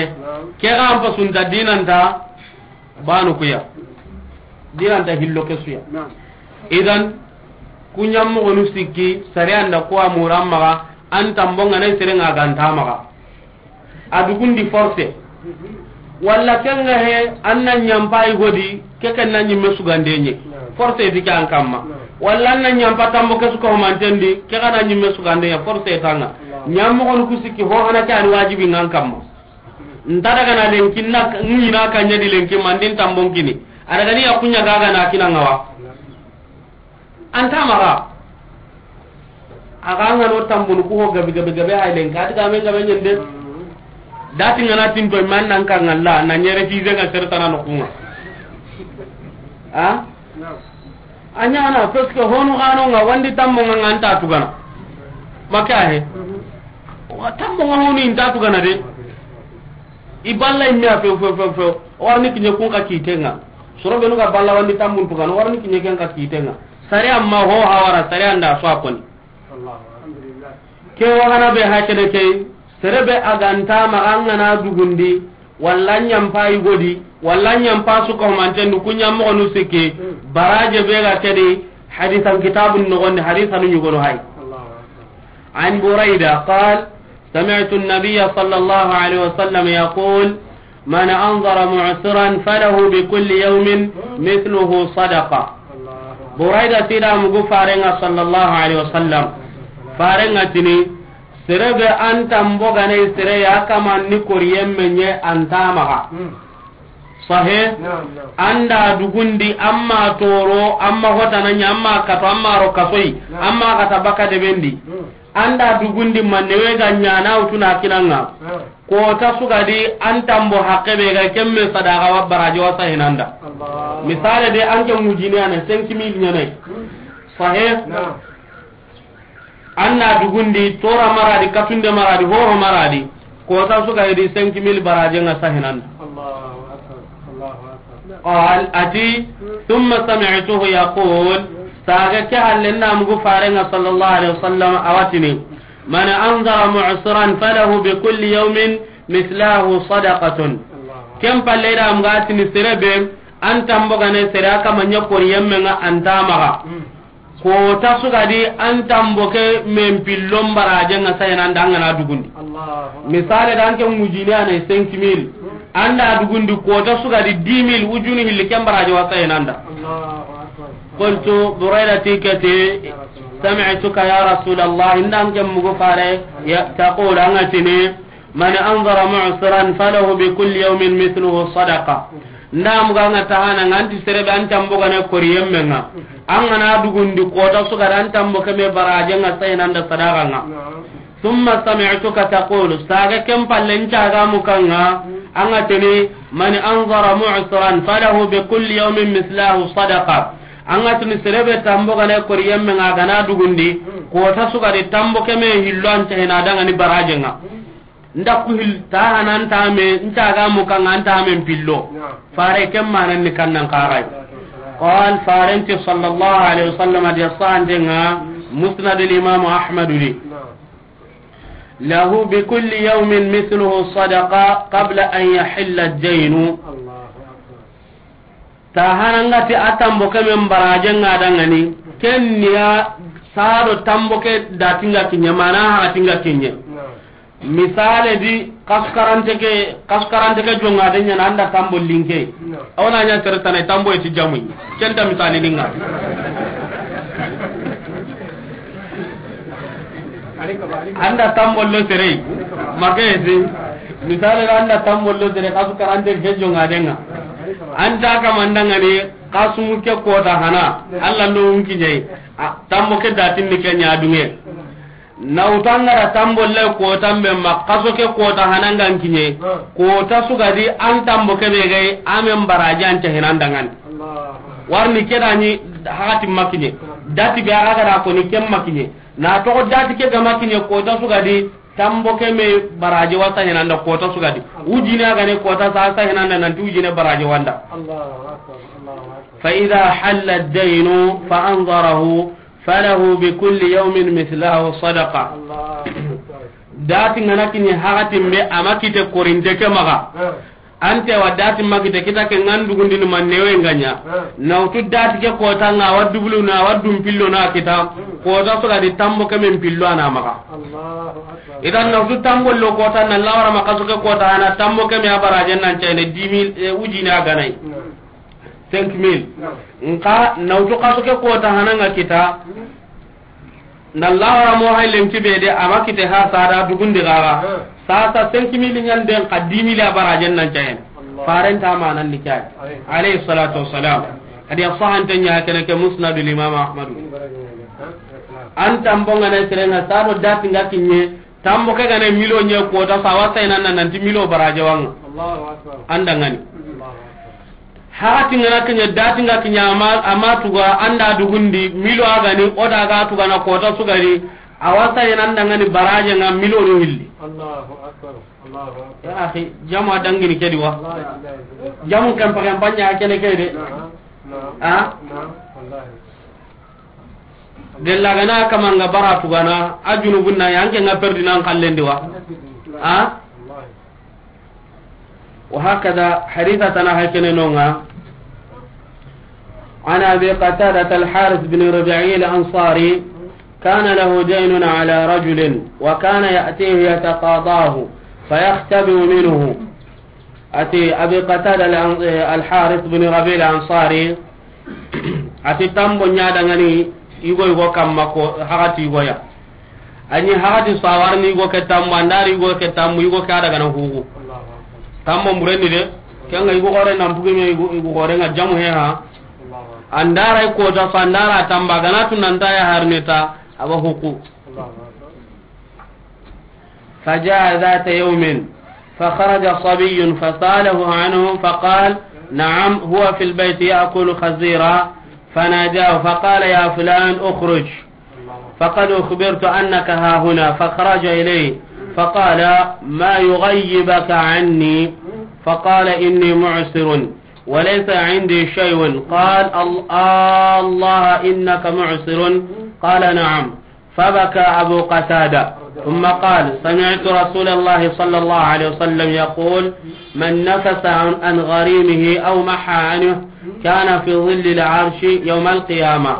ke ga an pasu nta dinan ta, banu kuya. Dinan ta hillo ke suya. Idan, ku ɲa moxonu sikki, sariyan da ko a muran maxa, an tambon ŋa na sere ŋa ga nta maxa. A dugundi forcé. Walla ken ŋa he, an na ɲa n pa i godi, ke ken na ɲimme sugande ɲe. Forcé ti ke an kamma. Walla an na ɲa n pa tambo ke su ko manten di, ke ga na ɲimme sugande ɲe, forcé ta ŋa. Ɲa moxonu ku sikki ho hana ke an wajibi ŋa an kamma. Nta daga na lenki na ŋina ka ɲa di lenki mandin tambon kini. A daga ni ya ku ɲa ga ga na kina ŋa wa. An ta maxa. A ga ŋa no tambunu ku ho gabi gabi gabi hay lenki. A di ga men gabe ɲende. Dati ŋa na tinto man nan ka ŋalla, na ɲere fize ŋa sertana no ku ŋa. Ha? A ɲaana, parce que honu xano ŋa wandi tammo ŋa ŋa nta tugana. Make a he. Wa tammo ŋa honu i nta tugana de. I balla i me a few, few, few, few. O warni kiɲe kun ka kite ŋa. Soro benu ga balla wandi tambun tugana, o warni kiɲe ken ka kite ŋa. Sare amma ho hawara, sare an da so a koni. Ke wa hana be hakene ke, sere be a ga nta maxa an ga na dugundi, walla ɲa n pa i godi, walla ɲa n pa su ko manten du ku ɲa moxonu sikki, baraje be ga ke di, hadisan kitabun noxondi, hadisanu ɲugono hay. عن بريدة قال: سمعت النبي صلى الله عليه وسلم يقول: من أنظر معسرا فله بكل يوم مثله صدقة. Burayda ti da mugu farenga sallallahu alaihi wasallam. Farenga tini, sere be an tambo gane sere ya kaman ni koriyen menye an ta maxa. Sahe, an da dugundi, an ma toro, an ma hotana ɲa, an ma kato, an ma ro kasoyi, an ma kata baka debendi. An da dugundi manne we ga ɲana wutuna kinanga. Kota sugadi an tambo hakke be ga kemme sadaga wa baraji wa sahinanda. Misale de an ke mujini ana cinq mille ɲane. Sahe. An na dugundi tora maradi, katunde maradi, hoho maradi. Kota sugadi cinq mille baraji nga sahinanda. Allahu akbar. Allahu akbar. Qal ati, thumma sami'tuhu yaqul, saga ke halle na mugu farenga sallallahu alaihi wasallam awatini, man anzara mu'siran falahu bi kulli yawmin mithlahu sadaqatun. Ken palle da muga tini sere be an tambo gane sere aka manya kori yemme nga an ta maxa. Kota sugadi an tambo ke men pillon baraje nga sayananda an gana dugundi. Misale da an ke mujini ana cinq mille. An da dugundi kota sugadi dix mille wujuni hilli ken baraje wa sayananda. Qultu, Buraida ti ke ti, sami'tuka ya Rasulallah, inda an ke mugu fare, ya, taqulu, an ga tini, من أنظر معسرا فله بكل يوم مثله صدقة. Nda muga nga tahana nga anti serebe an tambo gane kori yemme nga. An gana dugundi kota sugada an tambo keme baraje nga sayananda sadaga nga. ثم سمعتك تقول, saga ken palle ncaga mukanga, An ga tini, "Man anzara mu'siran falahu bi kulli yawmin mithlahu sadaqa." An ga tini, sere be tambo ga na kori yemme ŋa, a ga na dugundi, koota su ga di tambo ke me hillo an cahina dangani baraje ŋa. Nda ku hil ta hana nta me, nta ga mu kan nta me pillo. Fare ken manan ni kannan karai. Qal, faren ti sallallahu alaihi wasallam, a di sahante ŋa, Musnad al Imam Ahmad di. Lahu bi kulli yawmin mithluhu sadaqa qabla an yahilla ad-daynu. Ta hana nga ti a tambo ke men baraje nga dangani, ken ni ya sado tambo ke dati nga kinye, mana ha ti nga kinye. Misale di, kaskarante ke, kaskarante ke jonga de nyana anda tambo linke. Awna nya tere tane tambo e ti jamu. Kenta misali ninga. Anda tambo lo tere. Makesi. Misale anda tambo lo tere, kaskarante ke jonga de nga. Anta kamandanga ni kasumu ke koota hana. Allah ndo unki nyai. A, tambo ke datin ni kenya dunge. Na wutu an ga ra tambo lay koota be ma, kaso ke koota hana nga n kiɲe. Koota su ga di an tambo ke be gay, a men baraji an cahina n dangan. Warni ke da ni hakati ma kiɲe. Dati be a ga da ko ni ken ma kiɲe. Na toxo dati ke ga ma kiɲe, koota su ga di tambo ke me baraji wa sahina nda koota su ga di. Wujine a ga ne koota sa sahina nda nanti wujine baraji wa nda. Fa idha halla ad-daynu fa anzarahu falahu bi kulli yawmin mithlahu sadaqa. Dati ngana kini hakatin be a ma kite korinte ke maga. Ante wa dati ma kite kita ke ngan dugundini ma newe nganya. Na wutu dati ke koota nga wa dubulu na wa dum pillo na kita. Koota su ga di tambo ke men pillo ana maga. Idan na wutu tambo lo koota na lawara ma kaso ke koota ana tambo ke me a barajen nan cayne dix mille, eh, wujine a ganai. Cinq mille. Nka na wutu kaso ke koota hana nga kita. Na lawara mo hay lenki be de a ma kite ha sada dugundi gaga. Sasa cinq mille nyan den ka dix mille a barajen nan cayen. Faren ta ma nan ni cay. Alayhi salatu wassalam. Kadi a sahante nya kene ke Musnadul Imam Ahmad. An tambo ngana serenga sado dati nga kinye. Tambo ke gane milo nye koota sa wa sahina nan nanti milo baraje wanga. Anda ngani. Hakati ngana kiɲe dati nga kiɲe ama, ama tuga anda dugundi milo a gani o da ga tuga na koota su ga di. A wa sahina n dangani baraje nga milo do hilli. Ya akhi, jamu a dangini ke di wa. Jamu kan pakan panya kene ke de. Ha? Gella gana kamanga bara tugana, a junubun na yanke nga perdi nan kallendi wa. Ha? Wa hakada haditha tana hakene nonga. عن أبي قتادة الحارث بن ربعي الأنصاري، كان له دين على رجل، وكان يأتيه يتقاضاه، فيختبئ منه. Ati Abi Qatada al-, al-Harith bin Rabi al-Ansari, ati tambo ɲa dangani yugo yugo kamma ko hakati yugo ya. Ani hakati sawarni yugo ke tambo, andari yugo ke tambo, yugo ke a daga na hugu. Tambo mureni de, kenga yugo gore nan pugi me yugo, yugo gore nga jamu he ha. Andara koota sa andara tamba gana tu nanta ya harneta, aba huku. فجاء ذات يوم فخرج صبي فسأله عنه فقال: نعم، هو في البيت يأكل خزيرا. فناداه فقال: يا فلان، اخرج، فقد أخبرت أنك ها هنا. فخرج إليه فقال: ما يغيبك عني؟ فقال: إني معسر وليس عندي شيء. قال: ال-، آه الله، إنك معسر. قال: نعم. فبكى أبو قتادة ثم قال: سمعت رسول الله صلى الله عليه وسلم يقول: من نفس عن، عن غريمه أو محى عنه كان في ظل العرش يوم القيامة.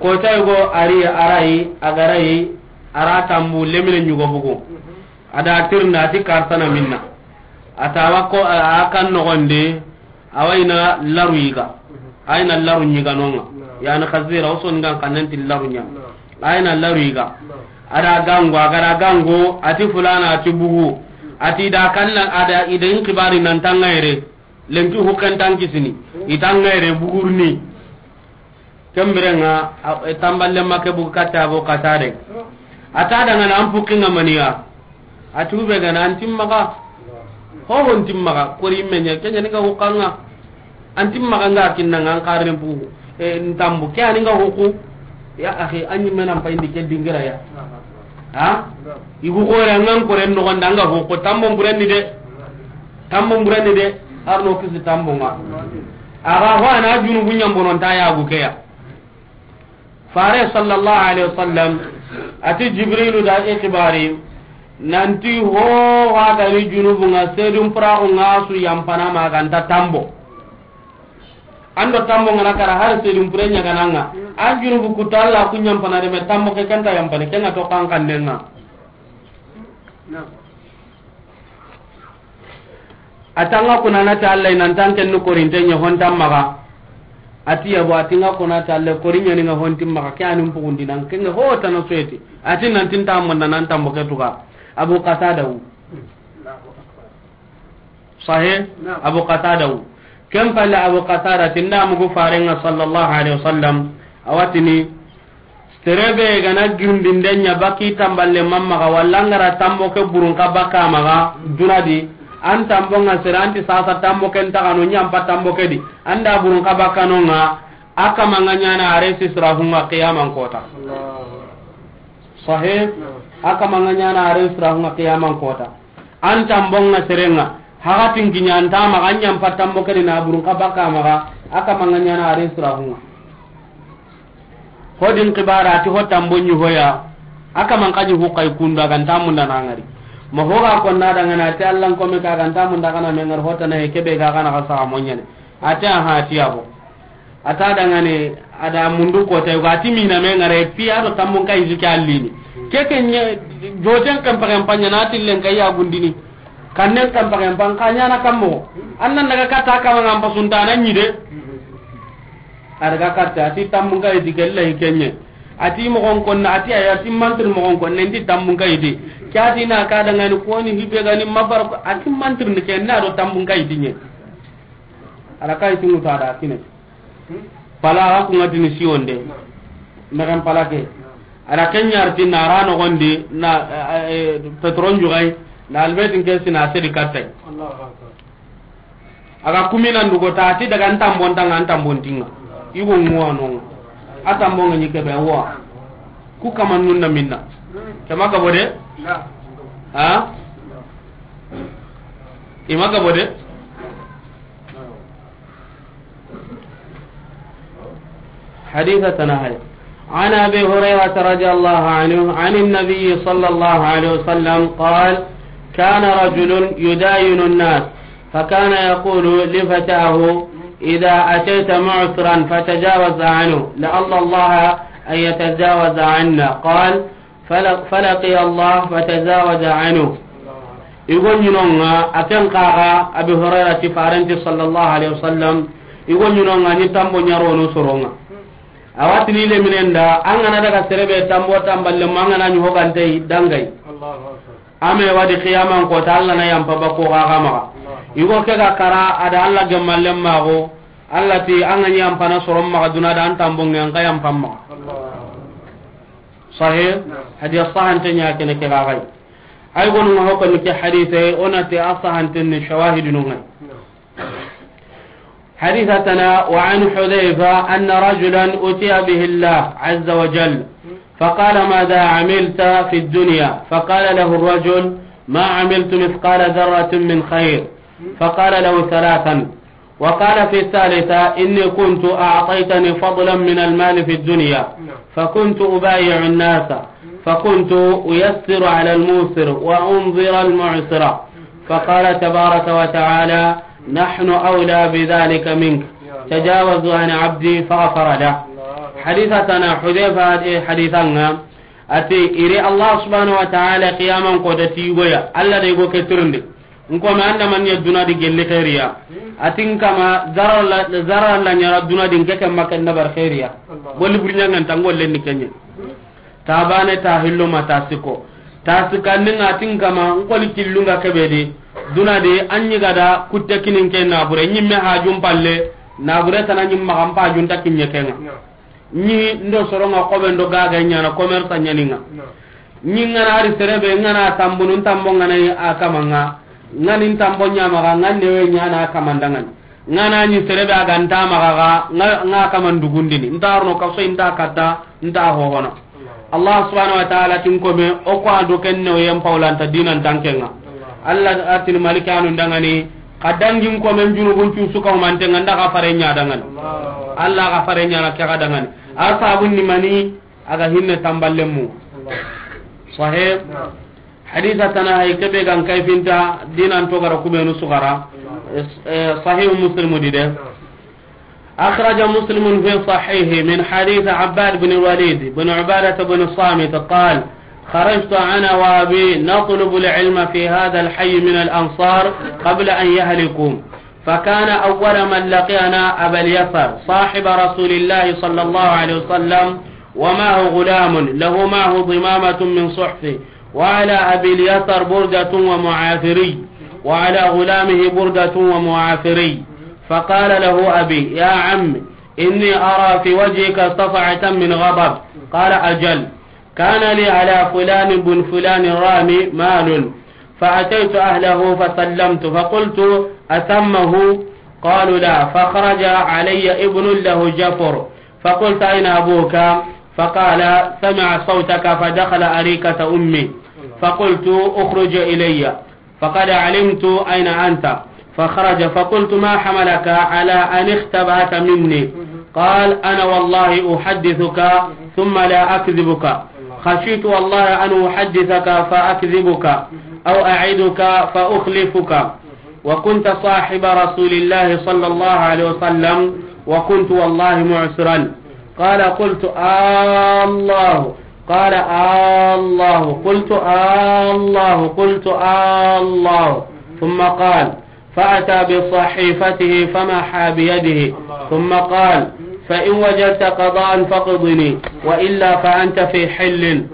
Koota yugo ari, arai, agarai, ara tambu lemine ɲugo bugu. Ada tirna ati karsana minna. Atawa ko a kan nogonde. Awa ina laru yiga. Ayina laru ɲiganonga. Yani Khazira, o soni gan kannen ti laru ɲa. Ayina laru yiga. Ada gango, agara gango, ati fulana, ati bugu. Ati da kanna, ada ida in kibari nan tangayre. Lenki hukan tankisini. Itangayre bugurni. Kembirenga, a, e, tamballe make bugu katta Abu Qatada. Ata dangana an pukinga maniya. Ati ube gana an timmaga. Ho ho nti maxa kori me ɲa, ke ɲa ni nga huxanga. An ti maxa nga kinna nga an xarren pu. E, n tambu ke ani nga huxu. Ya axi, an ɲi me nan payindi ke dingira ya. Ha? I gu xore an ga n koren noxon da an ga huxu, tambo n burenni de. Tambo n burenni de. Arno kisi tambo nga. Axa ho a na junubu ɲambonon ta ya gu ke ya. Fare sallallahu alaihi wasallam, a ti Jibrilu da i xibari, nanti ho wa ga ni junubu nga, sedun puraxu nga su yampana ma ga nta tambo. An do tambo nga na kara har sedun pure ɲa ga na nga. An junubu kuta Alla ku ɲampana de, me tambo ke ken ta yampana, ken ga to kan kan ne nga. A ti an ga kuna na ti Alla, i nan tan ken ni korinte ɲa, ho nta maxa. A ti yabo, a ti n ga kuna ti Alla, kori ɲa ni nga ho nti maxa, ke ani n pugundi nan, ke nga ho tana soyeti. A ti nan ti n ta munda nan tambo ke tuga. Abu Qatada wu. Sahe? Naam. Abu Qatada wu. Ken palle Abu Qatada ti n da mugu Faren nga sallallahu alaihi wasallam. A wa tini, Sere be ga na girindinde ɲa baki tamballe ma maxa, walla n ga ra tambo ke burun xa bakka maxa, duna di, an tambo nga sere, an ti sasa tambo ke nta xa no ɲampa tambo ke di, an da burun xa bakka no nga, a kama nga ɲana a resi sirahun ŋa qiyaman kota. Allahu. Sahih? Naam. A kama nga ɲana a resi sirahun ŋa qiyaman kota. An tambon ŋa seren ŋa, haxatin kiɲa an ta maxa, an ɲa n pa tambo ke di na burun xa bakka maxa, a kama ŋa ɲana a ren sirahun ŋa. Ho din xibara ti ho tambo ɲi hoya, a kama n xa ɲi hu xa i kundu, a ga nta munda na ŋari. Ma ho ga konna da ŋa na ti Alla n kome ka ga nta munda xa na me ŋari, ho tana he ke be ga xa na xa saxa mo ɲaana. A ti aha, a ti yabo. A ta dangane, a da mundu kota, yugo a ti mina me ŋare, pi a do tambun kayiti ke allini. Ke ke ɲe, joten kan pagen panya na tillen kay ya gundini. Kannen kan pagen pan ka ɲana kammo. Annan daga kata kama ngam pasunta na ɲi de. A daga kata, a ti tambun kayiti ke lahi ke ɲe. A ti mogon konna, a ti aya, a ti mantir mogon konna, n ti tambun kayiti. Ke a ti na ka dangane ko ni hibe gani mabar ko, a ti mantir ni ke na do tambun kayiti ɲe. A da kayiti ŋutu a da kine. Pala a ga kuŋa tini siwonde. Mexen pala ke. A da ke ɲarti na ra noxondi na, eh, eh, petron juxay, na albetin ke sina sedi kattay. A ga kumina ndugo ta ti daga n tambon tanga, n tambon tinga. Yugo ŋuwa noŋa. A tambon ŋa ɲi kebe wa. Ku kama nunna minna. Kema gabo de? Ha? Ima gabo de? حديث تنهي. عن أبي هريرة رضي الله عنه عن النبي صلى الله عليه وسلم قال: كان رجل يداين الناس، فكان يقول لفتاه: إذا أتيت معسرا فتجاوز عنه، لعل الله أن يتجاوز عنا. قال: Fala-, falaqiya Allah fatazawaja anhu. Igo ɲinonga, a ken kaga, Abi Hurairah ti farenti sallallahu alaihi wasallam, igo ɲinonga ni tambo ɲaronu soronga. Awatini le minenda, an gana daga serebe tambo tamballe ma an gana ɲi hogante dangai. Allahu Akbar. Ame wadi qiyaman kota, Allah na yampa bako gaga maga. Allahu Akbar. Igo ke ga kara, ada Allah gemmalle mago, Allah ti an ga ɲi yampana soron maga duna da an tambo ngen ka yampan maga. Allahu Akbar. Sahih? Naam. Hadiya sahante ɲa kene ke gagai. Ay gonu ma hokon ke hadise, onate a sahante ni shawahidu no ngai. Naam. حديث تنا: وعن حذيفة أن رجلا أتي به الله عز وجل فقال: ماذا عملت في الدنيا؟ فقال له الرجل: ما عملت مثقال ذرة من خير. فقال له ثلاثا، وقال في الثالثة: إني كنت أعطيتني فضلا من المال في الدنيا، نعم. فكنت أبايع الناس، فكنت أيسر على الموسر وأنظر المعسر، فقال تبارك وتعالى: نحن أولى بذلك منك، تجاوزوا عن عبدي، فغفر له. حديث تنا حذيفة، حديثنا، أتي إري الله سبحانه وتعالى قياما قد تيغويا، الله ديغو كترندي. Nkome anda man ya duna di gelli khairiya. Atin kama zarar la, zarar la ɲara duna di nke ke ma ken dabar khairiya. Allah. Golli burnya ngan tan golle ni kenye. Ta bane ta hillo ma ta siko. Ta sikandi nga atin kama nkoli killunga kebe di. Duna di anyi gada kutte kinin ke nabure nyimme hajum palle. Nabure tana nyim ma kampa junta kinye kenga. No. Ni ndo soronga kobe ndo gaga ɲana commerce ɲaninga. No. Ni ngana ari serebe ngana tambunu tambo ngana a kamanga. Ŋa ni n tambo ɲa maxa, ŋa newe ɲa na kaman da ŋa ni. Ŋa na ɲi sere be a ga nta maxa ga, ŋa, ŋa kaman dugundini. Nta arno kaso, nta katta, nta hohono. Allah subhanahu wa ta'ala ti n kome, o ko a do ken newe yen pawlanta dinan tanke ŋa. Allah a ti ni malikanu n da ŋa ni, xa dangi n kome n junubun cu su ka humante ŋa, n da xa fare ɲa da ŋa ni. Allah xa fare ɲa na ke xa da ŋa ni. A sabun ni mani, a ga hinne tamballen mu. Sahih. Hadisa tana hay kebe gan kayfinta dinan to gara kubenu sugara. Eh, Sahih Muslim di de. أخرج مسلم في صحيحه من حديث عباد بن الوليد بن عبادة بن الصامت قال: خرجت أنا وأبي نطلب العلم في هذا الحي من الأنصار قبل أن يهلكوا، فكان أول من لقينا أبا اليسر صاحب رسول الله صلى الله عليه وسلم، ومعه غلام له معه ضمامة من صحف، وعلى أبي اليسر بردة ومعافري، وعلى غلامه بردة ومعافري. فقال له أبي: يا عم، إني أرى في وجهك صفعة من غضب. قال: أجل. كان لي على فلان بن فلان رامي مال، فأتيت أهله فسلمت، فقلت: أثمه؟ قالوا: لا. فخرج علي ابن له جفر، فقلت: أين أبوك؟ فقال: سمع صوتك فدخل أريكة أمي، فقلت: اخرج إلي. فقد علمت أين أنت. فخرج، فقلت: ما حملك على أن اختبأت مني؟ قال: أنا والله أحدثك ثم لا أكذبك، خشيت والله أن أحدثك فأكذبك، أو أعدك فأخلفك، وكنت صاحب رسول الله صلى الله عليه وسلم، وكنت والله معسرا. قال: قلت: آه الله. قال: آه الله. قلت: آه الله. قلت: آه الله. ثم قال، فأتى بصحيفته فمحا بيده، ثم قال: فإن وجدت قضاء فاقضني، وإلا فأنت في حل.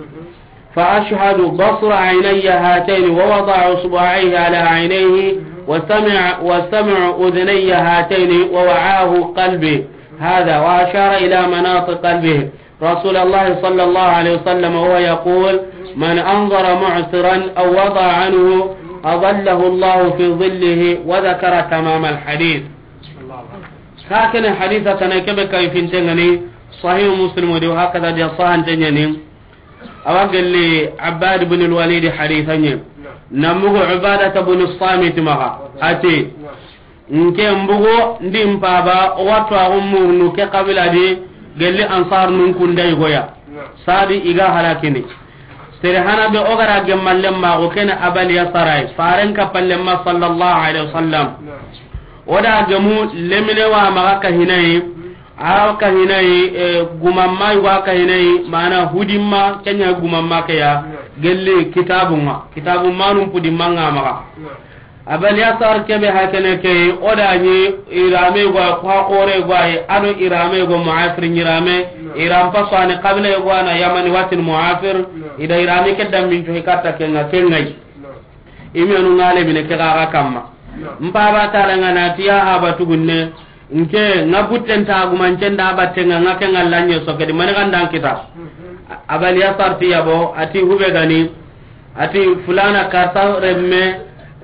فأشهد بصر عيني هاتين، ووضع إصبعيه على عينيه، وسمع، وسمع أذني هاتين، ووعاه قلبي هذا، وأشار إلى مناط قلبه، رسول الله صلى الله عليه وسلم وهو يقول: من أنظر معسرا أو وضع عنه أظله الله في ظله، وذكر تمام الحديث. Ka kene hadisa tana kebe kayfinte ŋa ni, Sahih Muslim di, hakada di, sahan tenyani. Awa gelli Abbad ibn al-Walid hadisa nye. Na mugu Ubadata ibn Samit maxa. Ati, nke mbugu ndi mpaba, o watu a murnu ke kabila di, gelli Ansar nun kunda i goya. Sadi i ga halakini. Sere hana be o gara gemmalle ma, o kene Abal Yasar ay. Faren kapalle ma sallallahu alaihi wasallam. O da gemu lemine wa maga kahinayi, a kahinayi, eh, gumamma yugo a kahinayi, mana hudimma, kenya gumamma ke ya, gelli kitabunga, kitabumma num pudimma nga maga. Abal Yasar kebe hakene ke, o da ni irame yugo, ko ha kore yugo ay, ado irame yugo Muafir irame, iram pasane kabila yugo na Yamani watin Muafir, ida irame ke dambin to hikata kenga, kengai. Imenu ngale mine ke gaga kamma. Mpaba tala nga na ti ya haba tugunne. Nke nga butten ta gumancen da batte nga, nga ke nga lanye so kedi mani kan dan kita. Abal Yasar ti yabo, ati hube gani. Ati fulana karta remme,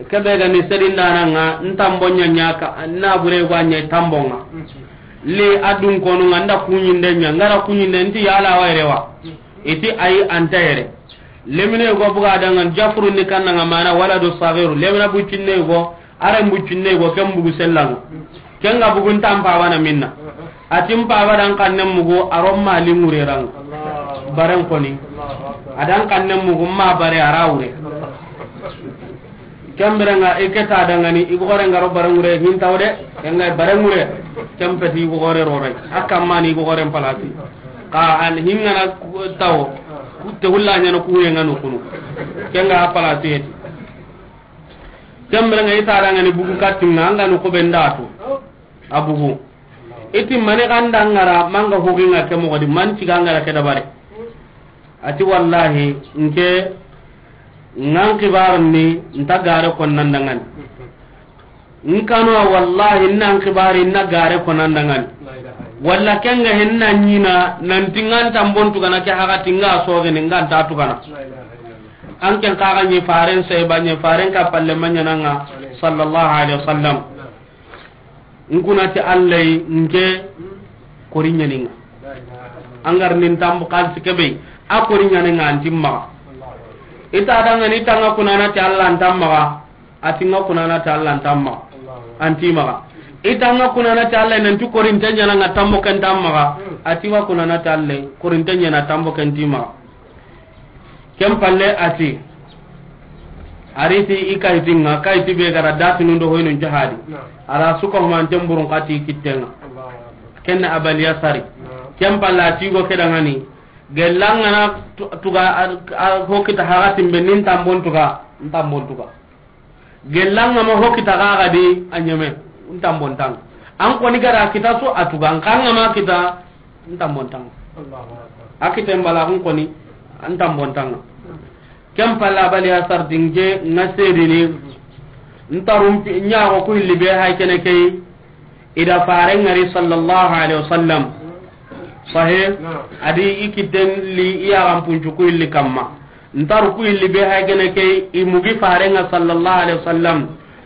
kebe gani sedin dana nga, ntambo nyanya ka, na bure gwa nye tambo nga. Li adun konu nga nda kunyinde nya, ngara kunyinde nti yala wa rewa. Iti ayi anta yere. Lemine go buga dangan Jafru ni kanna nga mana waladu sagiru. Lemina bucinne go, are bucinne go, ken bugu sellanga. Ken ga bugun tampa wana minna. Atim pa wadan kanne mugo, arom mali ngure rang. Baren koni. Adan kanne mugo ma bare arawure. Kembere nga i ke ta dangani, i gogore nga ro barangure hin tawde, nga barangure, kempeti i gogore rorai. Hakka mani i gogore palasi. Ka an hingana tawo, ku te hulla nyano ku ye ngano kunu. Kenga palasi yeti. Kembere nga i ta dangani bugu katinga, nga no ko bendatu. Abugu. Iti mane ganda ngara, manga hoginga ke mogodi, man ciga ngara ke dabare. Ati wallahi, nke, ngan kibar ni, nta gare kon nan dangan. Nkano wallahi, nan kibari, na gare kon nan dangan. Walla kenga henna nyina, nan tingan tambon tugana ke haga tinga soge ni ngan ta tugana. An ken xa ga ɲi faren sahaba ɲi, faren ka palle ma ɲaana ŋa, sallallahu alaihi wasallam. N kuna ti Allah yi, n ke kori ɲaani ŋa. An ga ri ni n tambo xalisi ke be, a kori ɲaani ŋa, an ti maxa. I ta da ŋa ni, i ta ŋa kuna na ti Allah, an ta maxa. A ti ŋa kuna na ti Allah, an ta maxa. An ti maxa. I ta ŋa kuna na ti Allah, nan ti kori nta ɲaana ŋa, tambo ken ta maxa. A ti wa kuna na ti Allah, kori nta ɲaana, tambo ken ti maxa. Ken palle a ti, a ri ti i kayiti ŋa, kayiti be ga ra datinu ndo hoynu jahadi. Naam. A ra suka humanten burun xa ti kitten ŋa. Allahu akbar. Ken na Abal Yasari. Naam. Ken palle a ti go ke da ŋa ni. Gella ŋa na tu-, tuga a, a, ho kita haratin be ni n tambon tuga, n tambon tuga. Gella ŋa ma ho kita ga ga di a ɲeme, n tambon ta ŋa. An koni ga ra kita su a tuga, n xa ŋa ma kita, n tambon ta ŋa. Allahu akbar. A kita n bala, an koni, n tambon ta ŋa. Ken palle Abal Yasari ti n ke ŋa seedini, n taru n pi-, ɲa go ku hilli be hay kene ke yi, i da faren ŋa ri sallallahu alaihi wasallam. Sahih. Naam. A di i kitten li i ya ga n puncu ku hilli kamma. N taru ku hilli be hay kene ke, i mugi faren ŋa sallallahu alaihi wasallam.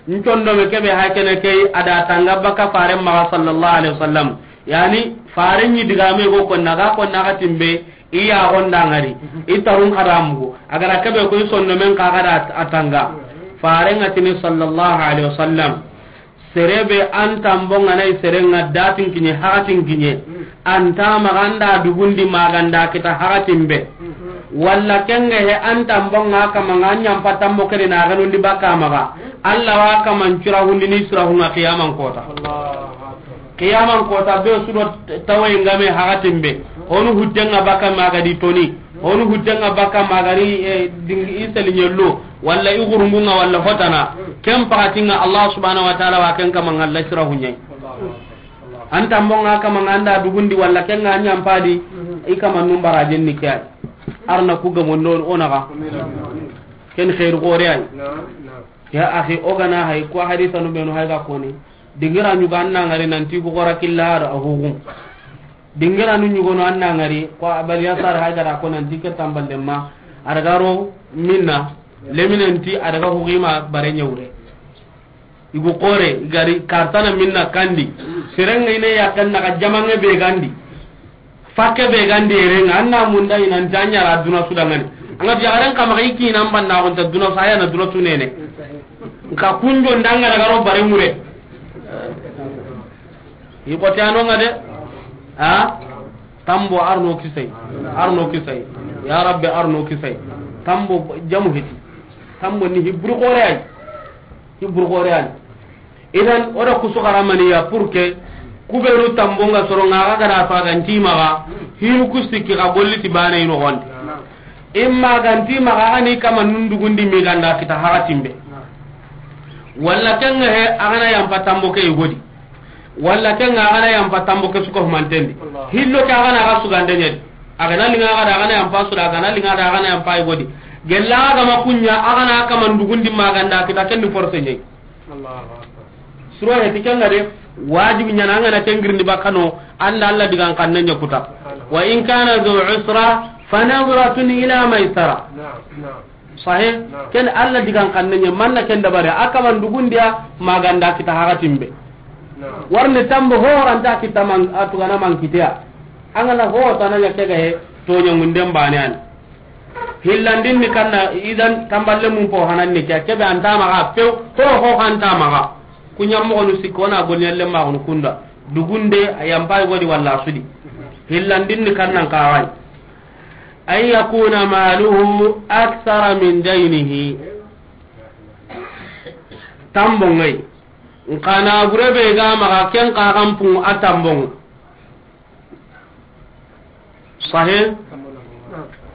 N condo me ke be hay kene ke, a da tanga baka faren maxa sallallahu alaihi wasallam. Yani, faren ɲi diga me go ko na ga, ko na ga timbe, i ya gonda ŋa ri. I tarun xa da mugu. A ga ra ke be ko i sonno men xa ga da a tanga. Faren ŋa ti ni sallallahu alaihi wasallam. Sere be an tambon ŋa na i sere ŋa datin kiɲe, hakatin kiɲe. An ta maxa an da dugundi ma ga n da kita hakatin be. Walla ken ga he an tambon ŋa kama ŋa ɲampa tambo ke di na ga nundi baka maxa. Allah wa kama n cira hundi ni sira hunga qiyaman kota. Allahu akbar. Qiyaman kota be su do tawaye ŋa me hakatin be. Honu hujja ŋa baka ma ga di toni. Honu hujja ŋa baka ma ga ri, eh, dingi i seli ɲello. Walla i gurungu ŋa, walla hotana. Ken pakati ŋa Allah subhanahu wa ta'ala wa ken kama ŋa la sira huɲai. An tambon ŋa kama ŋa an da dugundi walla ken ŋa ɲampa di, i kama num barajen ni ke ay. Arna ku ga mondo o na ga. Ken khairu gore ay. Ya akhi, o ga na hay ko hadisa nu be nu hay ga koni. Dingira ɲugo an na ŋari nan ti ku gora killa do a hugu. Dingira nu ɲugo no an na ŋari ko Abal Yasar hay ga da ko nan ti ke tamballe ma. A daga ro minna, leminen ti a daga hugi ma bare ɲa wure. I gu kore, i ga ri kartana minna kandi. Sere ŋa i ne ya kan na ga jamanŋe be gandi. Fakke be gandi ere ŋa, an na munda i nan ta ɲa ra duna su da ŋa ni. An ga jaxaren kama i ki nan banna ko ta duna su, a ya na duna su nene. Nka kunjo ndanga daga ro bare ŋure. I ko ti a no ŋa de. Ha? Tambo arno kisay. Arno kisay. Ya Rabbi, arno kisay. Tambo jamu hiti. Tambo ni hibru gore ay. Hibru gore ay. Idan, o da kusu xaramaniya pour que ku be nu tambon ŋa soro ŋa ga da faga n ti maxa, hinu ku sikki xa golli ti bane i noxon di. Imma ga n ti maxa, a ni kama nundugundi mi ga n da kita hakatin be. Walla ken ŋa he, a ga na yampa tambo ke i go di. Walla ken ŋa a ga na yampa tambo ke su ko humanten di. Hillo ke a ga na ga sugande ɲa di. A ga na linga ga da a ga na yampa su da, a ga na linga da a ga na yampa i go di. Gella ga ma kuɲa, a ga na kama ndugundi ma ga n da kita ken ni force ɲai. Allahu akbar. Suro he ti ken ŋa de, wajibi ɲa na an ga na ken girindi bakano, an da Allah digan xanne ɲa kuta. Wa in kana dhu usra, fa nadratun ila maisara. Naam, naam. Sahih? Naam. Ken Allah digan xanne ɲa, manna ken dabare, a kama ndugundiya, ma ga n da kita hakatin be. Naam. Warni tambo ho ranta kita man, a tugana man kitiya. An ga na ho tana ɲa ke ga he, to ɲa ŋunden bane an. Hillandin ni kanna, idan tamballe mun po hanan ni ke, ke be an ta maxa, pew, ho, ho han ta maxa. Kuɲa moxonu sikko na goni yalle maxunu kunda. Dugunde, a yampa i go di walla a su di. Hillandin ni kannan kawai. An yakuna maluhu akthara min daynihi. Tambon ŋa yi. Nka na gure be ga maxa ken xa kan pun a tambon ŋa. Sahih?